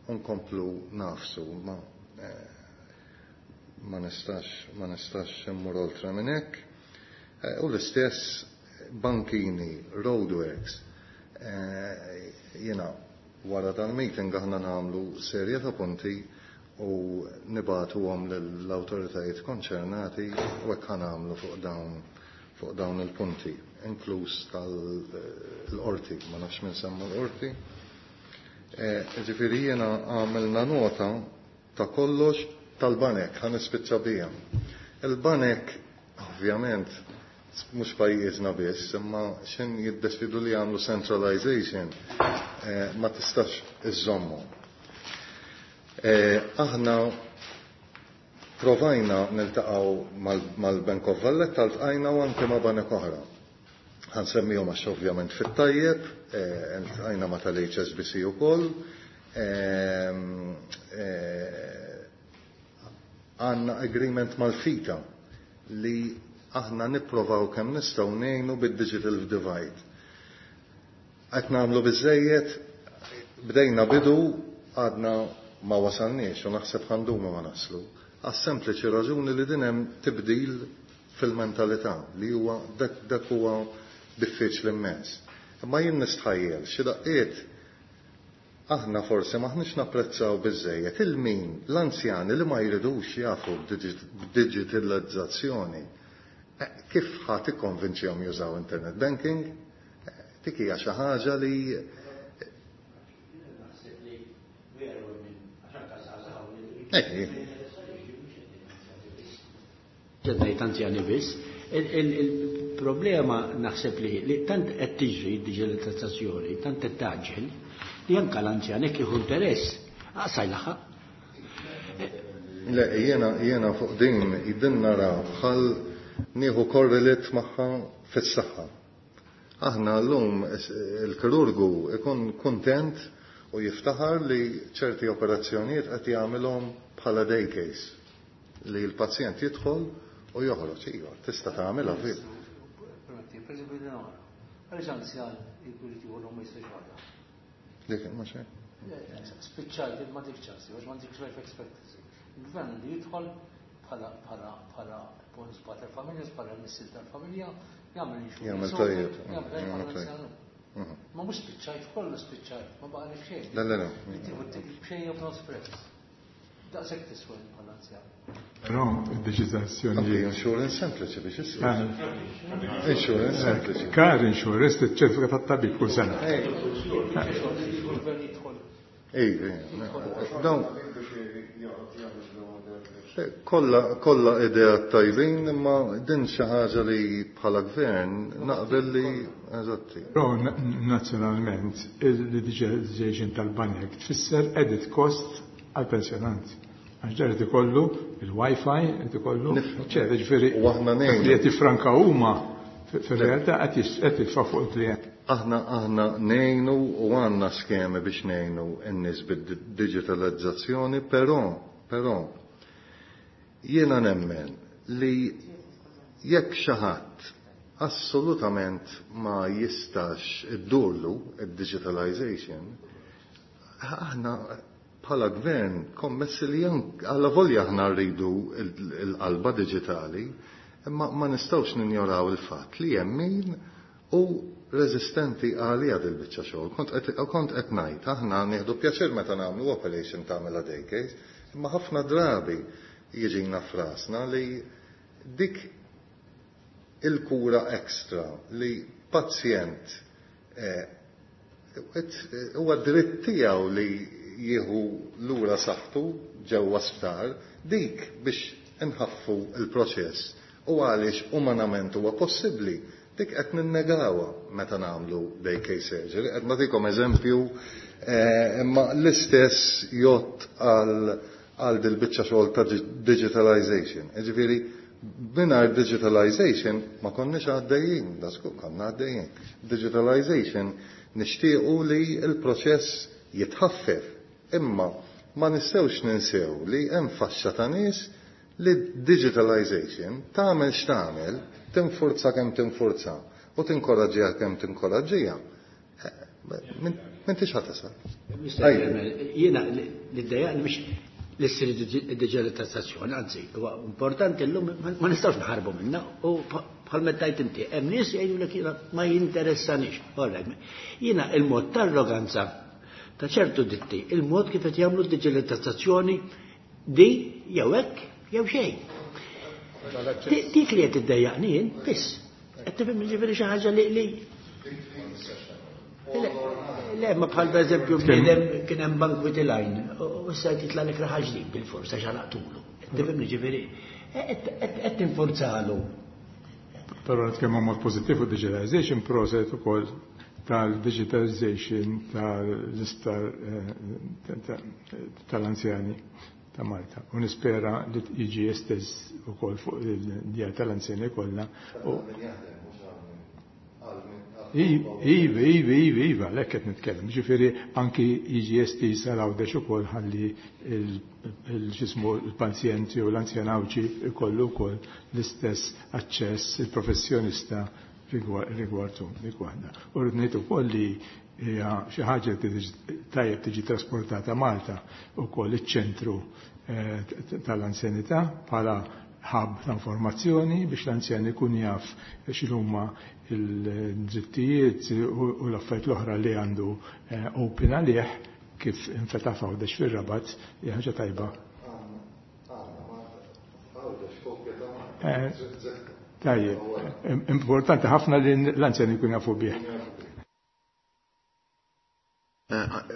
u nkomplu nagħfsu, ma nistax immur oltre minn hekk. U l-istess bankini, roadworks, jiena wara dal-meeting aħna nagħmlu serje ta' punti u nibagħtuhom lill-awtoritajiet konċernati u hekk nagħmlu fuq dawn il-punti, inkluż tal-qorti, ma nafx minn semma l-qorti. Ġifieri jiena għamilna nota ta' kollox tal-banek, ħa nispiċċa bija. Il-banek, ovvjament, mhux pajjiżna biss, imma xin jiddeċidu li jagħmlu centralization, ma tistax iżommu. Aħna provajna niltaqgħu mal-Bank of Valletta, ltqajna u anke ma' banek oħra. Ħa nsemmihom għax ovvjament fit-tajjeb, ltqajna ma' tal-HSBC ukoll. Għandna agreement mal-FITA li aħna nipprovaw kemm nistgħu ngħinu bid-digital divide. Qed nagħmlu biżejjed, bdejna bidu, għadna ma wasalniex u naħseb ħa ndumu ma naslu. Għas-sempliċi raġuni li din hemm tibdil fil-mentalità li huwa dak huwa diffiċli immens. Imma jien nistħajjel xi daqqiet aħna forsi m'aħniex napprezzaw biżżejjed il-min l-anzjani li ma jridux jafu b'digitalizzazzjoni. Kif ħa tikkonvinċihom jużaw internet banking? Dik hija xi ħaġa li Ngħid anzjani biss. Il-problema naħseb li tant qed tiġri d-diġitalizzazzjoni, tant qed taġġel, li anke l-anzjan jekk jieħu interess, aqsa jlaħħaq. Le, jiena fuq din din nara bħal nieħu korrelit magħha fis-saħħa. Aħna llum il-kirurgu ikun kuntent u jiftaħar li ċerti operazzjonijiet qed jagħmilhom bħala day case li l-pazjent jidħol u joħroġ. Iva, tista' tagħmilha fil. Per esempio, għaliex anzjan jkun jieħu ma jistax jagħmel? Dik ma xejn. Spiċċajt ma dik ċansi, għax ma dik life expectancy. Il-gvern li jidħol bħala bonus pater familja, bħala missier tal-familja, jagħmel insurance. Jagħmel tajjeb. Jagħmel tajjeb bħala anzjan. Ma mhux spiċċajt, kollu spiċċajt, ma baqa' xejn. Le, le, le. Tieħu b'xejn jew b'nofs prezz. Daqshekk tiswa bħala anzjan. Però id-digitalizzazzjoni. Anke insurance sempliċi biex issir. Insurance sempliċi. Car insurance tiċċertifika tat-tabib kull sena. Ej, dawn kollha idea tajbin, imma din xi ħaġa li bħala gvern naqbel li eżatti. Però nazzjonalment il-digitalization tal-banek tfisser added cost għal-pensjonanti. Għax ġar qed ikollu il-Wi-Fi, qed ikollu, eċetera, ġifieri U aħna ngħinu. li qed jiffranka huma fir-realtà qed jitfa' fuq il-klient. Aħna ngħinu u għandna skemi biex ngħinu n-nies bid-digitalizzazzjoni, però jiena nemmen li jekk xi ħadd assolutament ma jistax iddurlu id-digitalization, aħna bħala gvern kommessi li għalla volja aħna rridu il-qalba digitali, imma ma nistgħux ninjoraw il-fatt li hemm min u reżistenti għalija dil-biċċa xogħol. Kont qed ngħid, aħna nieħdu pjaċir meta nagħmlu operation tagħmilha day case, imma ħafna drabi jiġina frasna li dik il-kura ekstra li pazjent huwa dritt tiegħu li jieħu lura saħħtu ġewwa sptar, dik biex inħaffu il-proċess u għaliex umanament huwa possibbli, dik qed ninnegawha meta nagħmlu day case surgery. Qed nagħtikom eżempju, imma l-istess jgħodd għal dil-biċċa xogħol ta' digitalization. Jiġifieri mingħajr digitalization ma konniex għaddejjin, da żgur konna għaddejjin. Digitalization nixtiequ li l-proċess jitħaffef, imma ma nistgħux ninsew li hemm faxxa ta' nies li digitalization tagħmel x'tagħmel, tinfurza kemm tinfurza u tinkoraġġiha kemm tinkoraġġiha. M'intix ħa tasal. Mister Chairman, jiena li ddejjaqni biex l-issir digitalizzazzjoni, anzi, huwa importanti llum ma nistgħux naħarbu minnha u bħal meta tgħid inti, hemm nies jgħidulek jiena ma jinteressanix. All right. Jiena il-mod ta' arroganza ta' ċertu ditti, il-mod kif qed jagħmlu d-digitalizzazzjoni di jew hekk jew xejn. Dik li qed iddejjaqni jien biss. Qed tifhem jiġifieri xi ħaġa li Le, le, ma bħal per eżempju bniedem kien hemm bank with line u issa qed jitlaq lek raħal ġdid bil-forsa x'għalaqtulu. Qed tifhem jiġifieri qed tinforzalu. Però nitkellmu mod pożittiv fuq digitalization process ukoll tal-digitalization tal-isptar tal-anzjani ta' Malta. U nispera li jiġi estess ukoll fuq il-djar tal-anzjani kollha. Iva, iva, iva, iva, lek qed nitkellem. Ġifieri anki jiġi estis għal Għawdex ukoll ħalli il-ġismu l-pazjenti u l-anzjanawċi ikollu wkoll l-istess aċċess il-professjonista rigwardu dik waħda. U rrid ngħid ukoll li hija xi ħaġa li tajjeb tiġi trasportata Malta ukoll iċ-ċentru tal-anzjanità bħala hub ta' informazzjoni biex l-anzjan ikun jaf x'inhuma l-drittijiet u l-affarijiet l-oħra li għandu open għalih kif infetaħ f'Għawdex fir-Rabat, hija ħaġa tajba. Tajjeb, importanti ħafna li l-anzjani jkun jafu bih.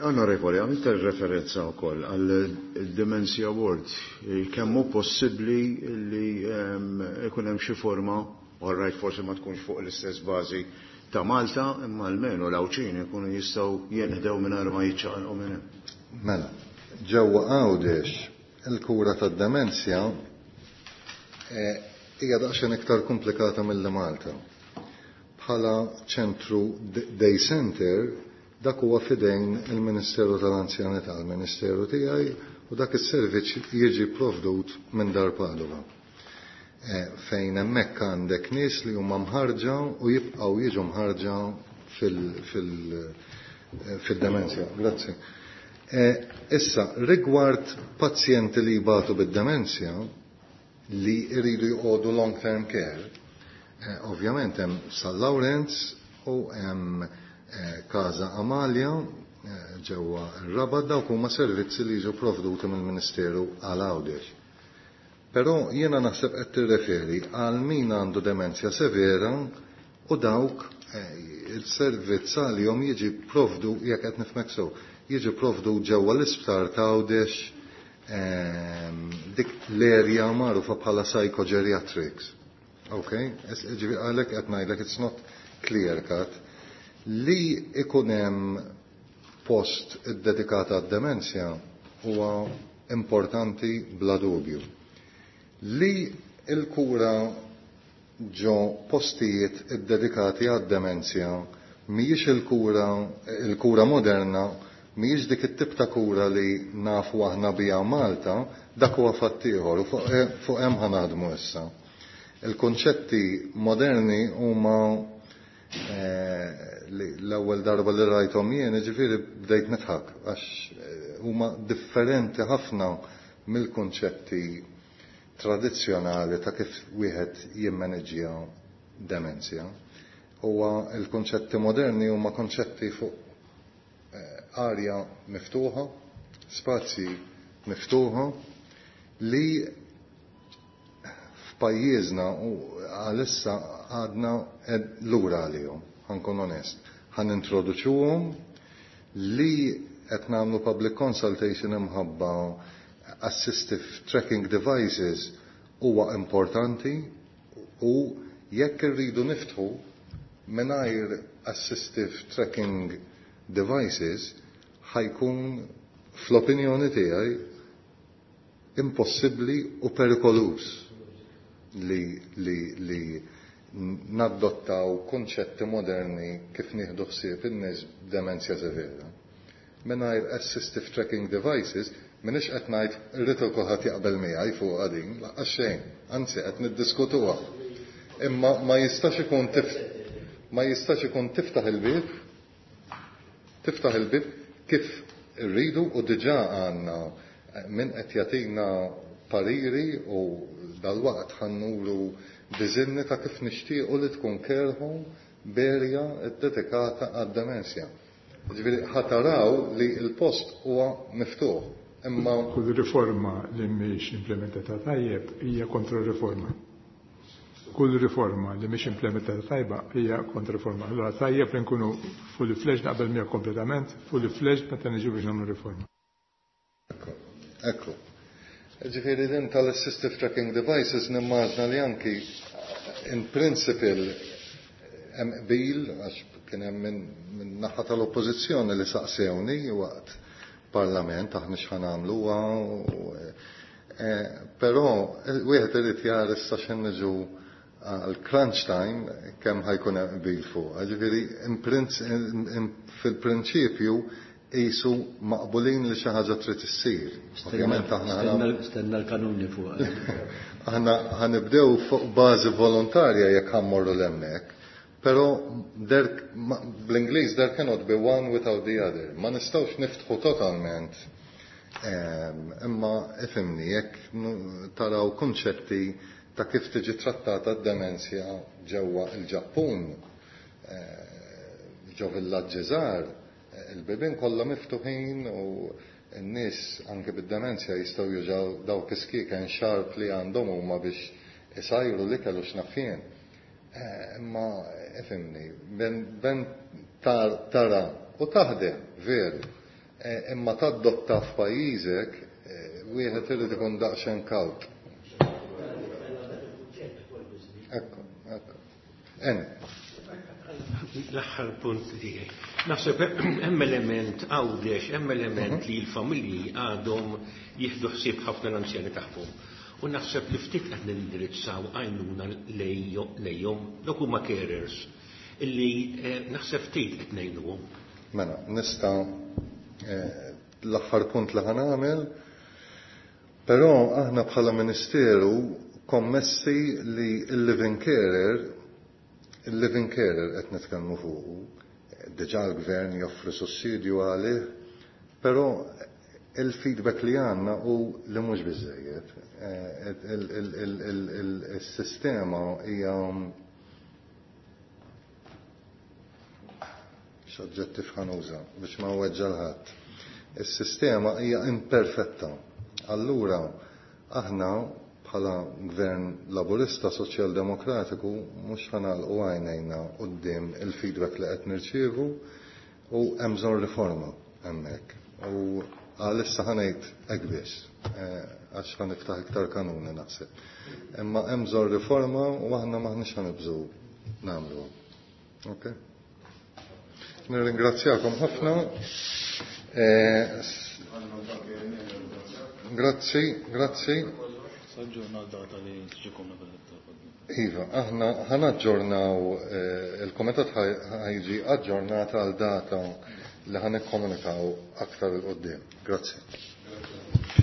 Onorevoli, għamilt referenza wkoll għal Dementia Award. Kemm hu possibbli li ikun hemm xi forma, all right, forsi ma tkunx fuq l-istess bażi ta' Malta, imma almenu l-Għawdxin ikunu jistgħu jinħdew mingħajr ma jiċċaqalqu minn hemm. Mela, ġewwa Għawdex il-kura tad-demenzja hija daqsxejn iktar komplikata milli Malta. Bħala ċentru day center, dak huwa fidejn il-Ministeru tal-Anzjanità, il-Ministeru tiegħi, u dak is-servizz jiġi provdut minn Dar Padova. Fejn hemmhekk għandek nies li huma mħarġa u jibqgħu jiġu mħarġa fil-demenzja. Grazzi. Issa, rigward pazjenti li jbatu bid-demenzja li jridu jqogħdu long-term care, ovvjament hemm San Lawrenz u hemm Casa Amalia ġewwa r-Rabat, dawk huma servizzi li jiġu provduti mill-Ministeru għal Għawdex. Però jiena naħseb qed tirreferi għal min għandu demenzja severa u dawk il-servizz għalihom jiġi provdu, jekk qed nifhmek sew, jiġi provdu ġewwa l-isptar ta' Għawdex, dik l-erja magħrufa bħala psychogeriatrics. Ok? Ġifieri għalhekk qed ngħidlek it's not clear cut. Li ikun hemm post iddedikat għad-demenzja huwa importanti bla dubju. Li l-kura ġo postijiet iddedikati għad-demenzja mhijiex il-kura moderna, mhijiex dik it-tip ta' kura li nafu aħna biha Malta, dak huwa fatt ieħor u fuq hemm ħa naħdmu issa. Il-konċetti moderni huma li l-ewwel darba li rajthom jien, jiġifieri bdejt nidħak għax huma differenti ħafna mill-konċetti tradizzjonali ta' kif wieħed jimmaneġġja demenzja. Huwa l-konċetti moderni huma konċetti fuq arja miftuħa, spazji miftuħa li f'pajjiżna u għalissa għadna lura għalihom, ħankun onest. Ħan introduċuhom li qed nagħmlu public consultation imħabba assistive tracking devices huwa importanti u jekk irridu niftħu mingħajr assistive tracking devices ħajkun fl-opinjoni tiegħi impossibbli u perikoluż li naddottaw konċetti moderni kif nieħdu ħsieb in-nies b'demenzja severa. Mingħajr assistive tracking devices, m'iniex qed ngħid irrid kulħadd jaqbel miegħi fuq din, lanqas xejn, anzi qed niddiskutuha. Imma ma jistax ikun tiftaħ il-bieb, tiftaħ il-bieb kif irridu u diġà għandna min qed jagħtina pariri u dal-waqt ħannuru diżinni ta' kif nixtiequ li tkun care home b'erja ddedikata għad-demenzja. Ġifieri ħataraw li l-post huwa miftuħ. Imma kull riforma li mhix implementata tajjeb hija kontra-riforma. Kull riforma li mhix implementata tajba hija kontra-riforma. Allura tajjeb li nkunu fully fledged, naqbel miegħek kompletament, fully fledged meta niġu biex nagħmlu riforma. Ekku, ekku. Ġifieri din tal-assistive tracking devices nimmaġna li anki in principle hemm qbil, għax kien hemm minn naħa tal-oppożizzjoni li saqsewni waqt parlament aħna x'ħan nagħmluha, però wieħed irid jara issa x'in niġu għal crunch time kemm ħajkun hemm qbil fuq. Ġifieri fil-prinċipju qisu maqbulin li xi ħaġa trid issir. Ovvjament aħna Stenna l-kanuni fuq. Aħna ħanibdew fuq bażi volontarja jekk ħammorru l-hemmhekk, però bl-Ingliż there cannot be one without the other. Ma nistgħux niftħu totalment Imma ifhimni, jekk taraw kunċetti ta' kif tiġi trattata d-demenzja ġewwa il-Ġappun, ġo villaġġi żgħar, il-bibien kollha miftuħin u n-nies anke bid-demenzja jistgħu jużaw dawk is-skieken xarp li għandhom huma biex isajru l-ikel u x'naf jien. Imma ifhimni, ben tara u taħdem veru, imma tadotta f'pajjiżek wieħed irid ikun daqsxejn kawt. Ekku, ekku. Eni. L-aħħar punt tiegħi. Naħseb hemm element Għawdex, hemm element li l-familji għadhom jieħdu ħsieb ħafna l-anzjani tagħhom. U naħseb li ftit qed nindirizzaw għajnuna lejhom dawk huma carers illi naħseb ftit qed ngħinuhom. Mela, nista' l-aħħar punt li ħa nagħmel, però aħna bħala Ministeru kommessi li l-living carer, il-living carer qed nitkellmu fuqu, diġà l-gvern joffri sussidju għalih, però il-feedback li għandna hu li mhux biżejjed. Il-sistema hija x'oġġettiv ħa nuża biex ma nweġġa' ħadd. Is-sistema hija imperfetta. Allura aħna bħala Gvern Laburista Soċjal-Demokratiku mhux ħa nagħlqu għajnejna quddiem il-feedback li qed nirċievu u hemm bżonn riforma hemmhekk. U għalissa ħa ngħid hekk biss, għax ħa niftaħ iktar kanuni naħseb. Imma hemm bżonn riforma u aħna m'aħniex ħa nibżgħu nagħmluha. Ok? Nirringrazzjakom ħafna. Grazzi, grazzi. Iva, aħna ħanaġġornaw, il-komitat ħajġi aġġornata għal data li ħanikkomunikaw aktar il-qoddim. Grazzi.